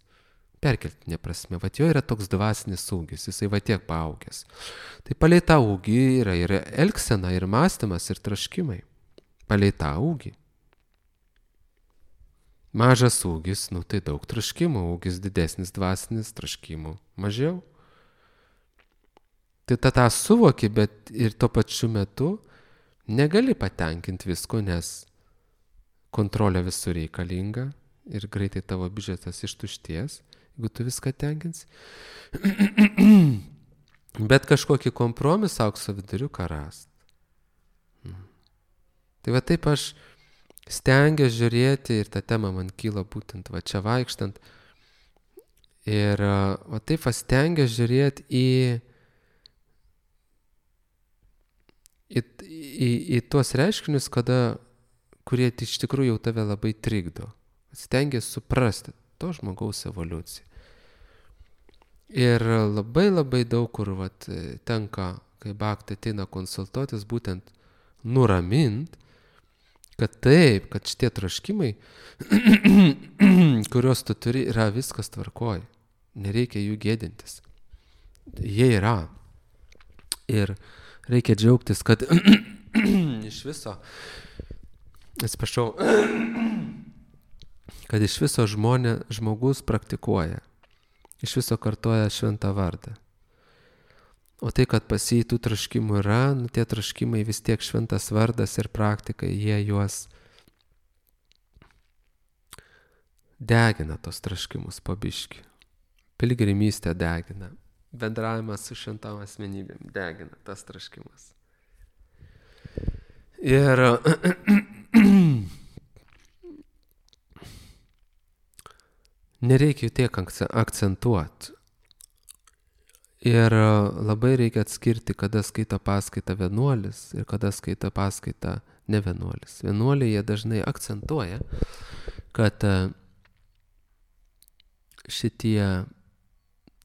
Perkeltinė prasme, jo yra toks dvasinis ūgis, jisai tiek paaugęs. Tai palei tą ūgį yra ir elgsena, ir mąstymas, ir troškimai. Palei tą ūgį. Mažas ūgis, tai daug troškimų, ūgis didesnis dvasinis, troškimų mažiau. Tai tą suvoki, bet ir tuo pačiu metu negali patenkinti visko, nes kontrolė visur reikalinga ir greitai tavo biudžetas ištušties, jeigu tu viską tenkins. Bet kažkokį kompromisą, aukso viduriuką rast. Tai taip aš stengiuosi žiūrėti ir ta tema man kyla būtent čia vaikštant. Ir taip stengiuosi žiūrėti į tuos reiškinius, kurie iš tikrųjų jau tave labai trikdo. Stengiasi suprasti to žmogaus evoliuciją. Ir labai labai daug kur tenka, kai bhakti ateina konsultuotis, būtent nuramint, kad taip, kad šitie troškimai, kuriuos tu turi, yra viskas tvarkoj. Nereikia jų gėdintis. Jie yra. Ir reikia džiaugtis, kad iš viso kad iš viso žmogus praktikuoja, iš viso kartoja šventą vardą. O tai, kad pas jį tų troškimų yra, nu, tie troškimai vis tiek šventas vardas ir praktika, jie juos degina tos troškimus po biškį. Piligrimystė degina. Bendravimas su šventom asmenybėm degina tas troškimas. Ir nereikia tiek akcentuoti. Ir labai reikia atskirti, kada skaito paskaitą vienuolis ir kada skaito paskaitą ne vienuolis. Vienuoliai jie dažnai akcentuoja, kad šitie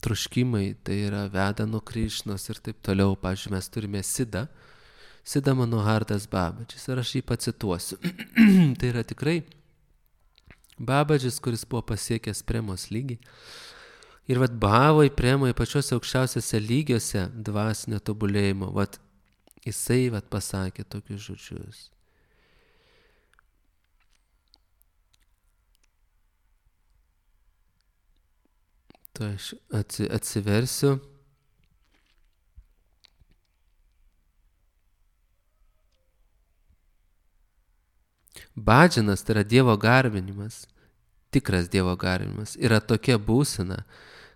troškimai tai yra veda nuo Krišnos ir taip toliau. Pavyzdžiui, mes turime Siddha Manohardas Babadžis ir aš jį pacituosiu. Tai yra tikrai Babadžis, kuris buvo pasiekęs premos lygį. Ir vat bhavai, premai, pačiuose aukščiausiuose lygiuose dvasinio tobulėjimo, vat jisai vat pasakė tokius žodžius. Tai aš atsiversiu. Bhadžanas, tai yra Dievo garbinimas, tikras Dievo garbinimas, yra tokia būsena,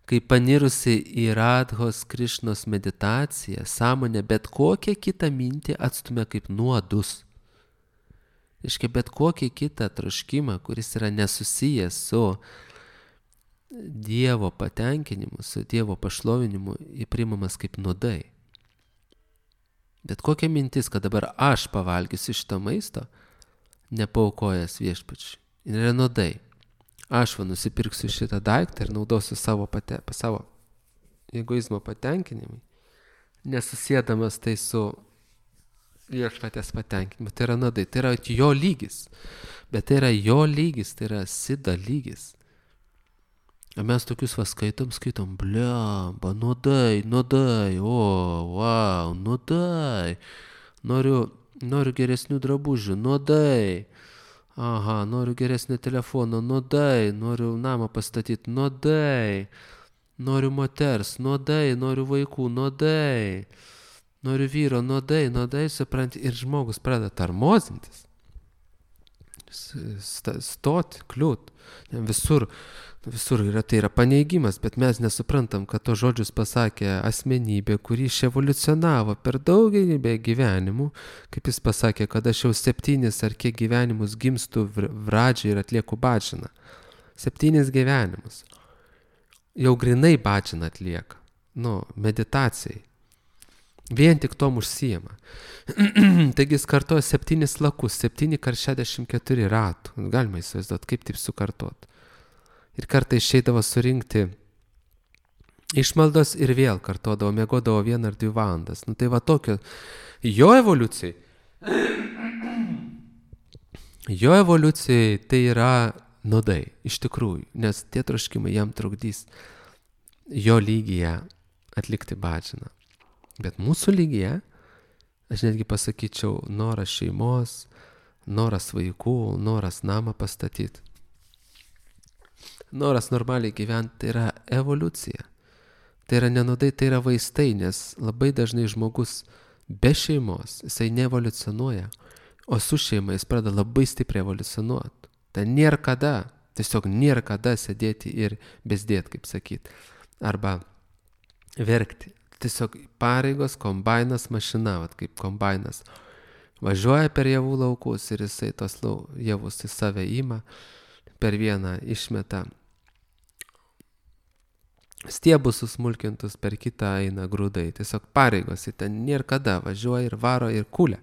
kai panirusi į Radhos Krišnos meditaciją, sąmonė bet kokią kitą mintį atstumia kaip nuodus. Reiškia, bet kokį kitą troškimą, kuris yra nesusijęs su Dievo patenkinimu, su Dievo pašlovinimu, įprimamas kaip nuodai. Bet kokia mintis, kad dabar aš pavalgysiu šito maisto, nepaukojęs viešpačiui. Ir yra nuodai. Aš nusipirksiu šitą daiktą ir naudosiu savo egoizmo patenkinimui, nesusėdamas tai su viešpatės patenkinimu. Tai yra nuodai, tai yra jo lygis. Bet tai yra jo lygis, tai yra Siddha lygis. O mes tokius skaitom, blemba, nuodai, o, wow, nuodai. Noriu geresnių drabužių, nuodai. Aha, noriu geresnio telefono, nuodai. Noriu namą pastatyti, nuodai. Noriu moters, nuodai. Noriu vaikų, nuodai. Noriu vyro, nuodai, supranti. Ir žmogus pradeda tarmozintis. Stoti, kliūt. Visur yra, tai yra paneigimas, bet mes nesuprantam, kad to žodžius pasakė asmenybė, kuri iševoliucionavo per daugelį gyvenimų, kaip jis pasakė, kad aš jau 7 ar kiek gyvenimus gimstu vradžiai ir atlieku bhadžaną. 7 gyvenimus. Jau grinai bhadžaną atlieka. Meditacijai. Vien tik tom užsijama. Taigi jis kartoja 7 lakus, 7 kart 64 ratų. Galima įsivaizduoti, kaip taip sukartot. Ir kartą išeidavo surinkti išmaldos ir vėl kartodavo, miegodavo 1 ar 2 valandas. Tai va tokio, jo evoliucijai tai yra nuodai, iš tikrųjų, nes tie troškimai jam trukdys jo lygyje atlikti bhadžaną. Bet mūsų lygyje, aš netgi pasakyčiau, noras šeimos, noras vaikų, noras namą pastatyti. Noras normaliai gyventi, tai yra evoliucija. Tai yra nenudai, tai yra vaistai, nes labai dažnai žmogus be šeimos, jisai neevoliucionuoja, o su šeima jis pradeda labai stipriai evoliucionuoti. Tai nėra kada, tiesiog nėra kada sėdėti ir bezdėti, kaip sakyti, arba verkti. Tiesiog pareigos, kombainas, mašina, kaip kombainas. Važiuoja per javų laukus ir jisai tos javus į save ima, per vieną išmeta stiebus susmulkintus, per kitą eina grūdai. Tiesiog pareigos, ten nėra kada, važiuoja ir varo ir kūlė.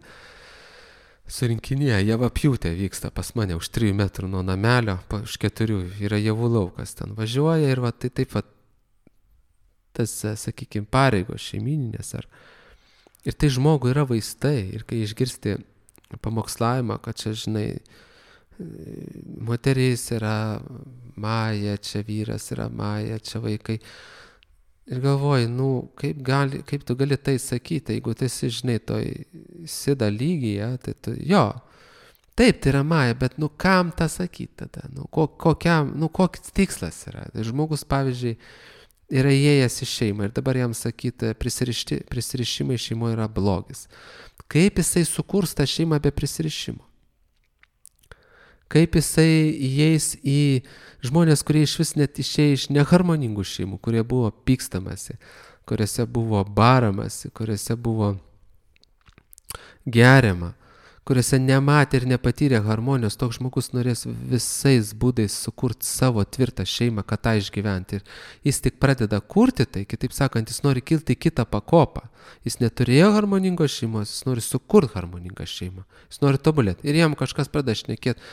Surinkinėje javapjūtė vyksta pas mane už 3 metrų nuo namelio, už 4 yra javų laukas, ten važiuoja ir va, tai taip va, tas, sakykime, pareigos šeimininės. Ir tai žmogui yra vaistai. Ir kai išgirsti pamokslavimą, kad čia, žinai, moteris yra Maja, čia vyras yra Maja, čia vaikai. Ir galvoji, kaip tu gali tai sakyti, jeigu tu esi, žinai, toj Siddha lygyje, tai tu, jo, taip, tai yra Maja, bet kam tą sakyti tada? Koks tikslas yra? Tai žmogus, pavyzdžiui, yra įėjęs į šeimą ir dabar jam sakyti, prisirišimai šeimoje yra blogis. Kaip jisai sukurs tą šeimą be prisirišimo? Kaip jisai įeis į žmonės, kurie iš vis net išėjo iš neharmoningų šeimų, kurie buvo pykstamasi, kuriuose buvo baramasi, kuriuose buvo geriama, kuriuose nematė ir nepatyrė harmonijos, toks žmogus norės visais būdais sukurti savo tvirtą šeimą, kad tą išgyventi. Ir jis tik pradeda kurti tai, kitaip sakant, jis nori kilti į kitą pakopą. Jis neturėjo harmoningos šeimos, jis nori sukurti harmoningą šeimą. Jis nori tobulėti. Ir jam kažkas pradeda šnekėti,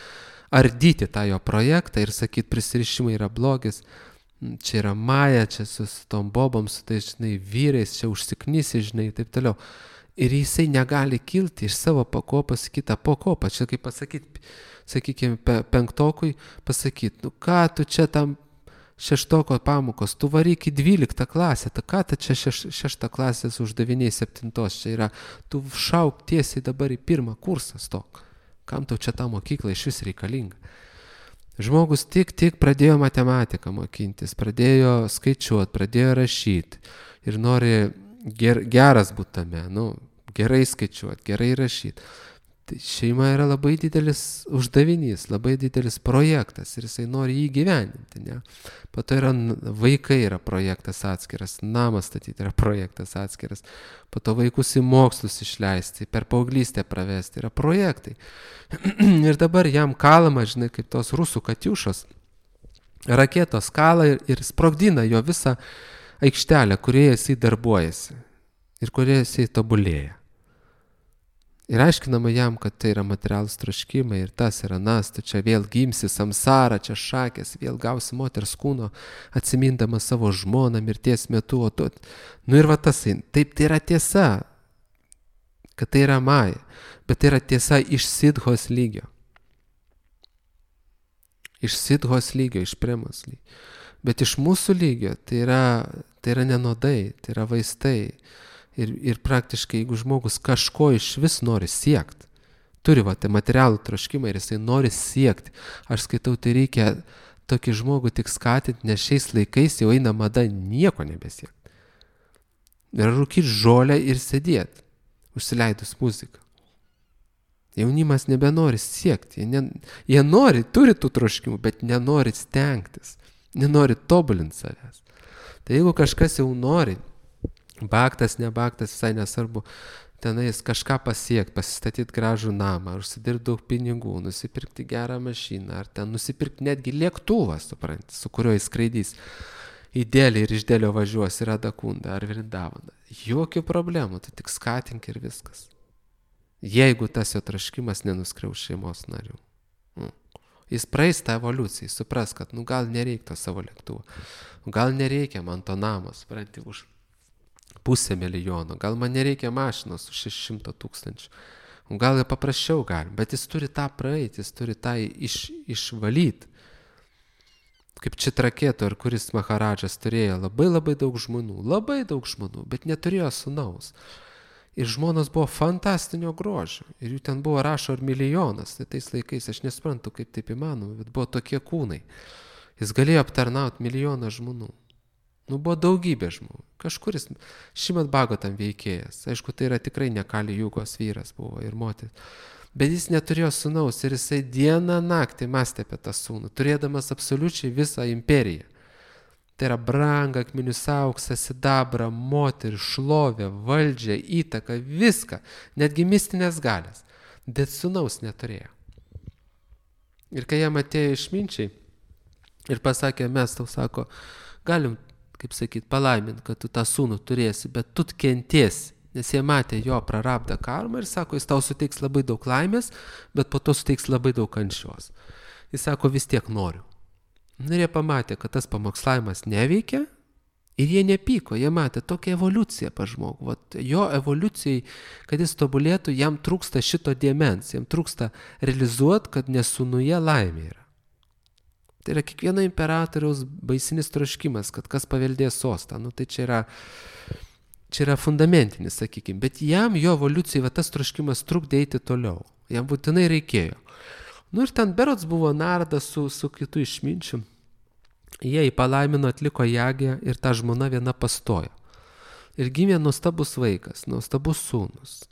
ardyti tą jo projektą ir sakyti, prisirišimai yra blogis. Čia yra maja, čia su tom bobom, su tais, žinai, vyrais, čia užsiknysi, žinai, taip toliau. Ir jisai negali kilti iš savo pakopos į kitą pakopą. Čia kaip pasakyti, sakykime, penktokui pasakyti, nu ką tu čia tam šeštoko pamokos, tu varyk į 12 klasę, ta ką tu čia 6 klasės uždaviniai 7, čia yra, tu šauk tiesiai dabar į 1 kursą stok. Kam tau čia ta mokykla iš vis reikalinga? Žmogus tik pradėjo matematiką mokintis, pradėjo skaičiuoti, pradėjo rašyti ir nori geras būti tame, gerai skaičiuoti, gerai rašyti. Tai šeima yra labai didelis uždavinys, labai didelis projektas ir jisai nori jį gyveninti. Ne? Po to yra vaikai yra projektas atskiras, namas statyti yra projektas atskiras, po to vaikus į mokslus išleisti, per paauglystę pravesti yra projektai. Ir dabar jam kalama, žinai, kaip tos rusų katiušos, raketos kala ir sprogdina jo visą aikštelę, kurioje jisai darbuojasi ir kurioje jisai tobulėja. Ir aiškinama jam, kad tai yra materialūs troškimai ir tas yra nas, tu čia vėl gimsi samsara, čia šakės, vėl gausi moters kūno, atsimindama savo žmoną mirties metu. Ir va tas, taip tai yra tiesa, kad tai yra maja, bet tai yra tiesa iš sidhos lygio. Iš sidhos lygio, iš premos lygio. Bet iš mūsų lygio tai yra nenodai, tai yra vaistai. Ir praktiškai, jeigu žmogus kažko iš vis nori siekti, turi tai materialų troškimą ir jisai nori siekti, aš skaitau, tai reikia tokį žmogų tik skatinti, nes šiais laikais jau eina mada nieko nebesiekti. Ir rūkyti žolę ir sėdėti, užsileidus muziką. Jaunimas nebenori siekti, jie nori, turi tų troškimų, bet nenori stengtis, nenori tobulinti savęs. Tai jeigu kažkas jau nori, baktas, nebaktas, visai nesvarbu, tenais kažką pasiekti, pasistatyti gražų namą, užsidirbti daug pinigų, nusipirkti gerą mašiną, ar ten nusipirkti netgi lėktuvą, supranti, su kuriuo jis skraidys į Delį ir iš Delio važiuos į Radakundą ar Vrindavaną. Jokių problemų, tu tik skatink ir viskas. Jeigu tas jo traškimas nenuskriaus šeimos narių. Jis praeis tą evoliuciją, jis supras, kad gal nereikia to savo lėktuvo, gal nereikia man to namo, supranti, už 500 000, gal man nereikia mašinos už 600 000, gal ir paprasčiau galim, bet jis turi tą praeiti, jis turi tą išvalyti. Kaip Čitraketo, ar kuris Maharadžas turėjo labai daug žmonų, bet neturėjo sūnaus. Ir žmonos buvo fantastinio grožio, ir jų ten buvo rašo ir milijonas, tai tais laikais aš nesuprantu, kaip taip įmanoma, bet buvo tokie kūnai. Jis galėjo aptarnauti milijoną žmonių. Buvo daugybė žmonių. Kažkuris Šrimat Bhagavatam veikėjas. Aišku, tai yra tikrai ne Kali Jugos vyras buvo ir moteris. Bet jis neturėjo sūnaus ir jisai dieną naktį mąstė apie tą sūnų, turėdamas absoliučiai visą imperiją. Tai yra brangą, akmenius, auksą, sidabrą, moterį, šlovę, valdžią, įtaką, viską, netgi mistinės galės. Bet sūnaus neturėjo. Ir kai jam atėjo išminčiai ir pasakė, mes tau sako, galim, kaip sakyt, palaimint, kad tu tą sūnų turėsi, bet tu kentiesi, nes jie matė jo prarabdą karmą ir sako, jis tau suteiks labai daug laimės, bet po to suteiks labai daug kančios. Jis sako, vis tiek noriu. Ir jie pamatė, kad tas pamokslavimas neveikia ir jie nepyko, jie matė tokią evoliuciją pas žmogų. Vat jo evoliucijai, kad jis tobulėtų, jam trūksta šito dėmens, jam trūksta realizuoti, kad nesūnuje laimė yra. Tai yra kiekvieno imperatoriaus baisinis troškimas, kad kas paveldės sostą. Tai čia yra fundamentinis, sakykime. Bet jam jo evoliucijai tas troškimas trukdė eiti toliau. Jam būtinai reikėjo. Ir ten berods buvo Nardas su kitu išminčiu. Jie į palaimino atliko jagę ir ta žmona viena pastojo. Ir gimė nuostabus vaikas, nuostabus sūnus.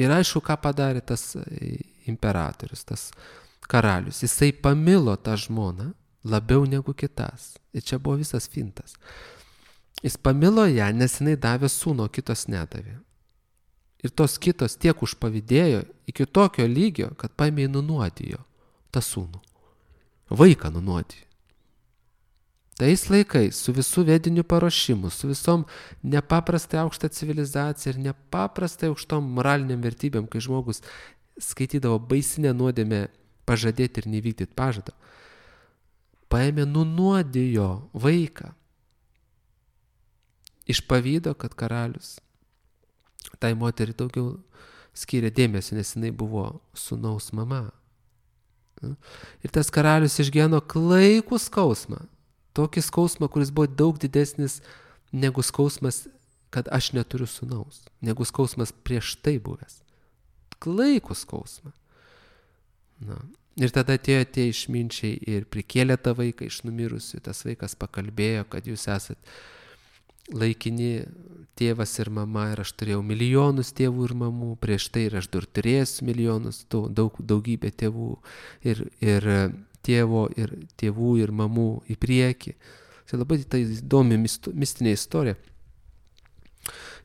Ir aišku, ką padarė tas imperatorius, tas karalius. Jisai pamilo tą žmoną labiau negu kitas. Ir čia buvo visas fintas. Jis pamilo ją, nes jinai davė sūno, kitos nedavė. Ir tos kitos tiek užpavydėjo iki tokio lygio, kad paėmė nunuodijo tą sūnų. Vaiką nunuodijo. Tais laikais, su visų vediniu paruošimu, su visom nepaprastai aukštą civilizaciją ir nepaprastai aukštom moraliniam vertybėm, kai žmogus skaitydavo baisinę nuodėmę pažadėti ir nevykdyti pažadą, paėmė nunuodijo vaiką. Iš pavydo, kad karalius tai moteriai daugiau skyrė dėmesio, nes jinai buvo sūnaus mama. Ir tas karalius išgyveno klaikų skausmą. Tokį skausmą, kuris buvo daug didesnis negu skausmas, kad aš neturiu sūnaus, negu skausmas prieš tai buvęs. Klaikų skausmą. Na. Ir tada atėjo tie išminčiai ir prikėlė tą vaiką iš numirusių. Tas vaikas pakalbėjo, kad jūs esat laikini tėvas ir mama ir aš turėjau milijonus tėvų ir mamų, prieš tai ir aš dar turėsiu milijonus, daugybę tėvų ir tėvo ir tėvų ir mamų į priekį. Tai labai tai įdomi mistinė istorija.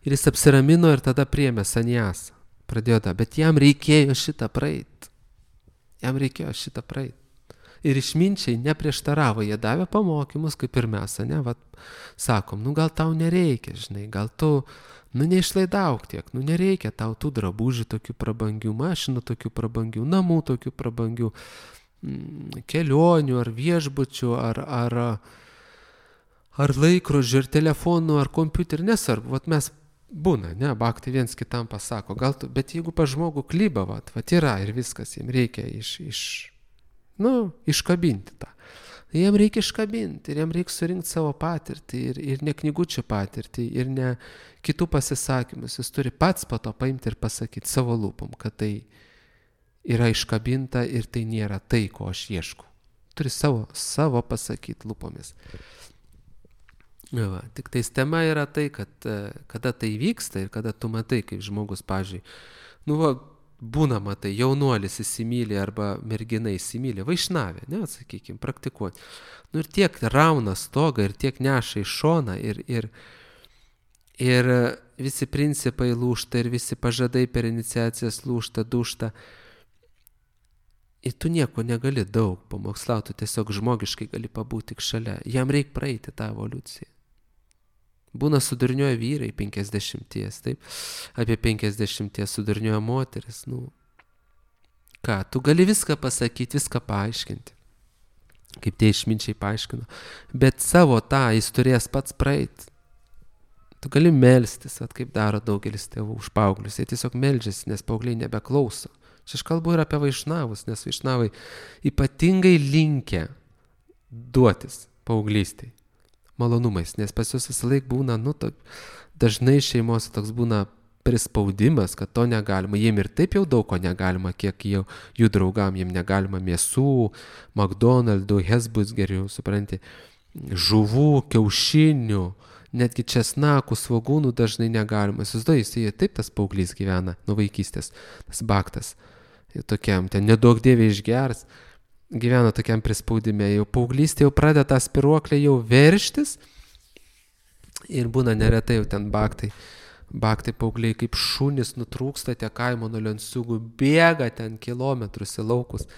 Ir jis apsiramino ir tada priėmė saniasą. Pradėjo tą, bet jam reikėjo šitą praeit. Ir išminčiai neprieštaravo, jie davė pamokymus, kaip ir mes, ne, vat, sakom, gal tau nereikia, žinai, gal tu, neišlaidauk tiek, nereikia tau tų drabužių tokių prabangių, mašinų tokių prabangių, namų tokių prabangių, kelionių ar viešbučių, ar laikrodžių, ar telefonų, ar kompiuterių, nesvarbu, vat mes būna, ne, baktai viens kitam pasako, gal tu, bet jeigu pa žmogų klyba, vat yra ir viskas, jiems reikia iškabinti tą. Jiems reikia iškabinti ir jiems reikia surinkti savo patirtį ir ne knygučių patirtį ir ne kitų pasisakymus. Jis turi pats po to paimti ir pasakyti savo lūpom, kad tai yra iškabinta ir tai nėra tai, ko aš ieškau. Turi savo pasakyti lūpomis. Va, tik tais tema yra tai, kad kada tai vyksta ir kada tu matai, kaip žmogus, pavyzdžiui, būna, matai, jaunuolis įsimylė arba mergina įsimylė, vaišnavė, ne, sakykime, praktikuoti. Ir tiek rauna stogą ir tiek neša į šoną ir visi principai lūžta ir visi pažadai per iniciacijas lūžta, dušta. Ir tu nieko negali daug pamokslauti, tiesiog žmogiškai gali pabūti tik šalia. Jam reikia praeiti tą evoliuciją. Būna sudurniuoja vyrai 50, taip, apie 50 sudurniuoja moteris, ką, tu gali viską pasakyti, viską paaiškinti, kaip tie išminčiai paaiškino, bet savo tą jis turės pats praeiti. Tu gali melstis, kaip daro daugelis tėvų už paauglius, jie tiesiog meldžiasi, nes paaugliai nebeklauso. Čia aš kalbu ir apie vaišnavus, nes vaišnavai ypatingai linkę duotis paauglystėj malonumais, nes pas jūs visą laik būna, dažnai šeimose toks būna prispaudimas, kad to negalima, jiem ir taip jau daug ko negalima, kiek jų draugam, jiem negalima mėsų, McDonald'ų, Hesburgerių, supranti, žuvų, kiaušinių, netgi česnakų, svogūnų dažnai negalima. Jis taip tas paauglys gyvena nuo vaikystės, tas baktas, tokiam, ten nedaug dievė išgers, gyvena tokiam prispaudime, jau paauglystė jau pradeda tą spiruoklę jau verštis ir būna neretai jau ten baktai paaugliai kaip šunys nutrūksta tie kaimo nuo lenciūgų, bėga ten kilometrus į laukus,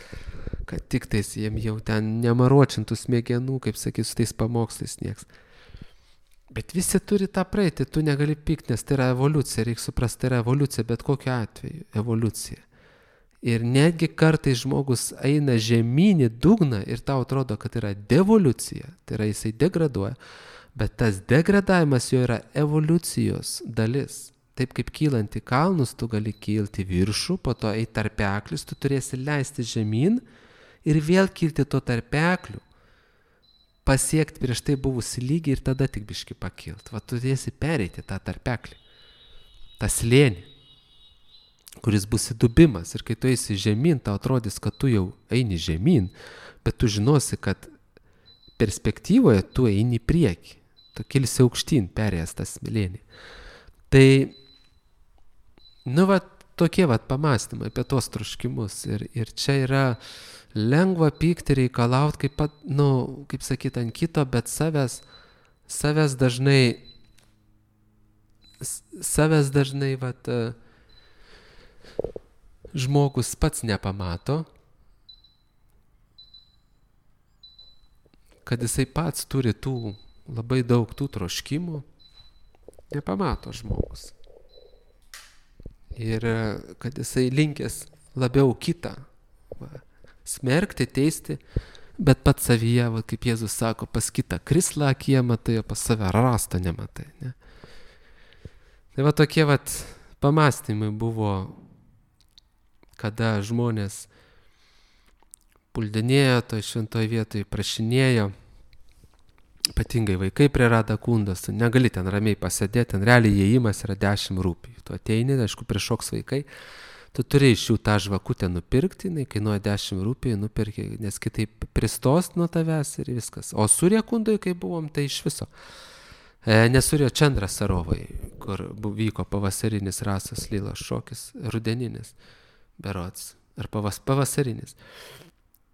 kad tik tais jiem jau ten nemaruočintų smegenų, kaip sakys, su tais pamokslais nieks. Bet visi turi tą praeiti, tu negali pykti, nes tai yra evoliucija, reikia suprasti, tai yra evoliucija, bet kokiu atveju evoliucija. Ir netgi kartais žmogus eina žemyn į dugną ir tau atrodo, kad yra devolucija, tai yra jisai degraduoja, bet tas degradavimas jo yra evoliucijos dalis. Taip kaip kylant į kalnus, tu gali kilti viršų, po to eiti tarpeklius, tu turėsi leisti žemyn ir vėl kilti to tarpeklių, pasiekti prieš tai buvusi lygį ir tada tik biškį pakilti. Va, tu turėsi pereiti tą tarpeklį, tą slėnį, kuris bus įdubimas. Ir kai tu eisi žemyn, tau atrodys, kad tu jau eini žemyn, bet tu žinosi, kad perspektyvoje tu eini į priekį, tu kilsi aukštyn, perėjęs tą smėlynį. Tai, tokie pamąstymai apie tos troškimus. Ir čia yra lengva pykti, reikalauti, kaip sakyti, ant kito, bet savęs dažnai, žmogus pats nepamato, kad jisai pats turi labai daug tų troškimų, nepamato žmogus. Ir kad jisai linkęs labiau kitą smerkti, teisti, bet pats savyje, kaip Jėzus sako, pas kitą krislą akyje matai, o pas save rastą nematai. Ne? Tai tokie pamąstymai buvo, kada žmonės puldinėjo toj šventoj vietoj, prašinėjo, ypatingai vaikai prie Radakundos, negali ten ramiai pasėdėti, ten realiai įėjimas yra 10 rupijų. Tu ateini, aišku, prišoks vaikai, tu turi iš jų tą žvakutę nupirkti, jinai kainuoja 10 rupijų, nupirki, nes kitaip pristos nuo tavęs ir viskas. O Surjakundoj, kai buvom, tai iš viso. Nesurėjo Čendras Sarovai, kur vyko pavasarinis Rasos Lylos šokis, rudeninis, berods, ar pavasarinis.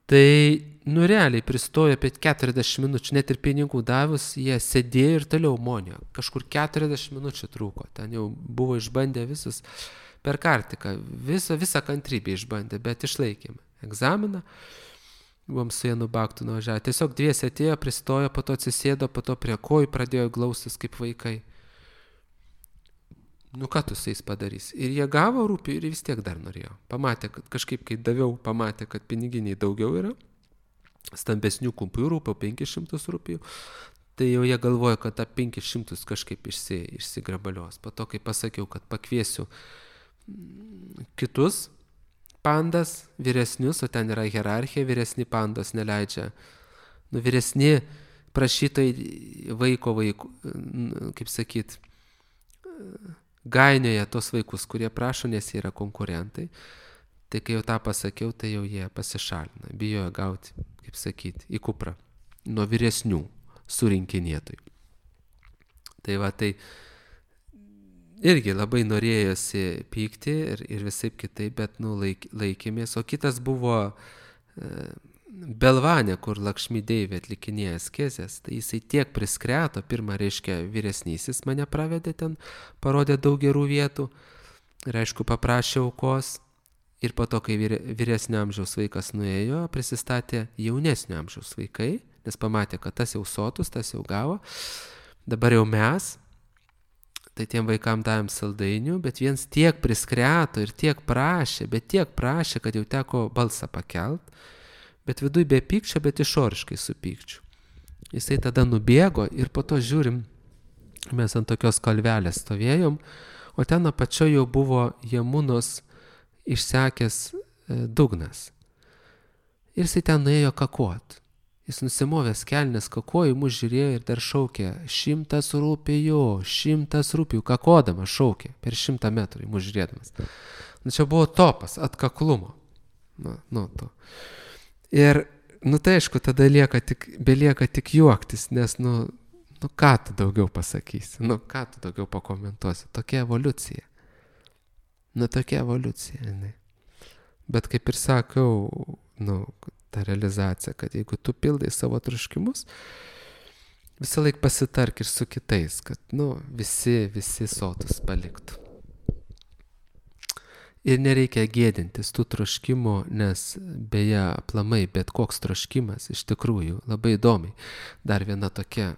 Tai, realiai pristojo apie 40 minučių, net ir pinigų davus, jie sėdėjo ir toliau monio. Kažkur 40 minučių trūko, ten jau buvo išbandę visus per kartiką, visą kantrybę išbandė, bet išlaikėme egzaminą. Buvom su Janu Baktu nuvažiavę. Tiesiog dviese atėjo, pristojo, po to atsisėdo, po to prie kojų pradėjo glaustis kaip vaikai. Ką tu su jais padarys? Ir jie gavo rūpijų ir vis tiek dar norėjo. Pamatė, kad kažkaip, kai daviau, pamatė, kad piniginiai daugiau yra, stambesnių kupiūrų, po 500 rūpijų. Tai jau jie galvoja, kad tą 500 kažkaip išsigrabalios. Po to, kai pasakiau, kad pakviesiu kitus pandas, vyresnius, o ten yra hierarchija, vyresni pandos neleidžia. Vyresni prašytojai vaiko, kaip sakyt, gainioja tos vaikus, kurie prašo, nes jie yra konkurentai. Tai kai jau tą pasakiau, tai jau jie pasišalina, bijojo gauti, kaip sakyti, į kuprą nuo vyresnių surinkinėtojų. Tai tai irgi labai norėjosi pykti ir visaip kitaip, bet laikėmės. O kitas buvo Belvanė, kur Lakšmi Deivė atlikinėja askezės, tai jisai tiek priskreto, pirmą, reiškia, vyresnysis mane pravedė ten, parodė daug gerų vietų ir, aišku, paprašė aukos. Ir po to, kai vyresnio amžiaus vaikas nuėjo, prisistatė jaunesnio amžiaus vaikai, nes pamatė, kad tas jau sotus, tas jau gavo. Dabar jau mes, tai tiem vaikam davėm saldainių, bet viens tiek priskreto ir tiek prašė, kad jau teko balsą pakelt. Bet viduj be pykčio, bet išoriškai su pykčiu. Jisai tada nubėgo ir po to žiūrim, mes ant tokios kalvelės stovėjom, o ten apačioje jau buvo Jamunos išsekęs dugnas. Ir jisai ten nuėjo kakot. Jis nusimovęs kelnes kakojo, mus žiūrėjo ir dar šaukė 100 rupijų, kakodama šaukė per 100 metrų, mus žiūrėdamas. Čia buvo topas atkaklumo. To. Ir, tai aišku, tada belieka tik juoktis, nes, ką tu daugiau pasakysi, ką tu daugiau pakomentuosi. Tokia evoliucija. Tokia evoliucija, žinai. Bet kaip ir sakau, ta realizacija, kad jeigu tu pildai savo troškimus, visą laik pasitark ir su kitais, kad, visi sotus paliktų. Ir nereikia gėdintis tų troškimų, nes beje, aplamai, bet koks troškimas iš tikrųjų labai įdomiai. Dar viena tokia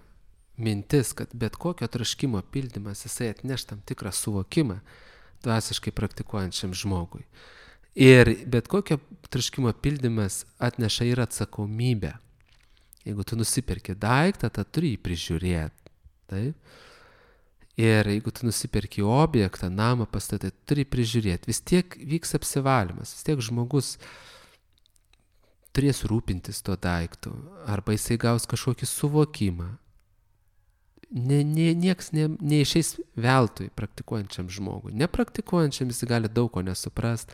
mintis, kad bet kokio troškimo pildymas, jisai atneš tam tikrą suvokimą dvasiškai praktikuojančiam žmogui. Ir bet kokio troškimo pildymas atneša ir atsakomybę. Jeigu tu nusiperki daiktą, tai turi jį prižiūrėti. Taip? Ir jeigu tu nusiperki objektą, namą pastatą, turi prižiūrėti. Vis tiek vyks apsivalymas, vis tiek žmogus turės rūpintis to daiktų, arba jisai gaus kažkokį suvokimą. Nieks neišeis veltui praktikuojančiam žmogui. Nepraktikuojančiam jis gali daug ko nesuprast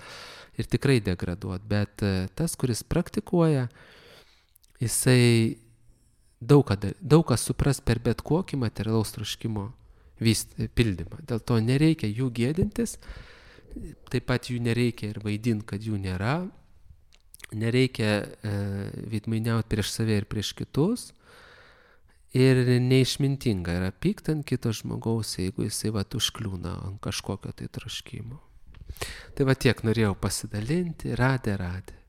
ir tikrai degraduoti, bet tas, kuris praktikuoja, jisai daug kas supras per bet kokį materialaus troškimo pildymą. Dėl to nereikia jų gėdintis, taip pat jų nereikia ir vaidinti, kad jų nėra, nereikia veidmainiauti prieš save ir prieš kitus. Ir neišmintinga yra pykt ant kito žmogaus, jeigu jisai užkliūna ant kažkokio tai troškimo. Tai tiek norėjau pasidalinti. Radė.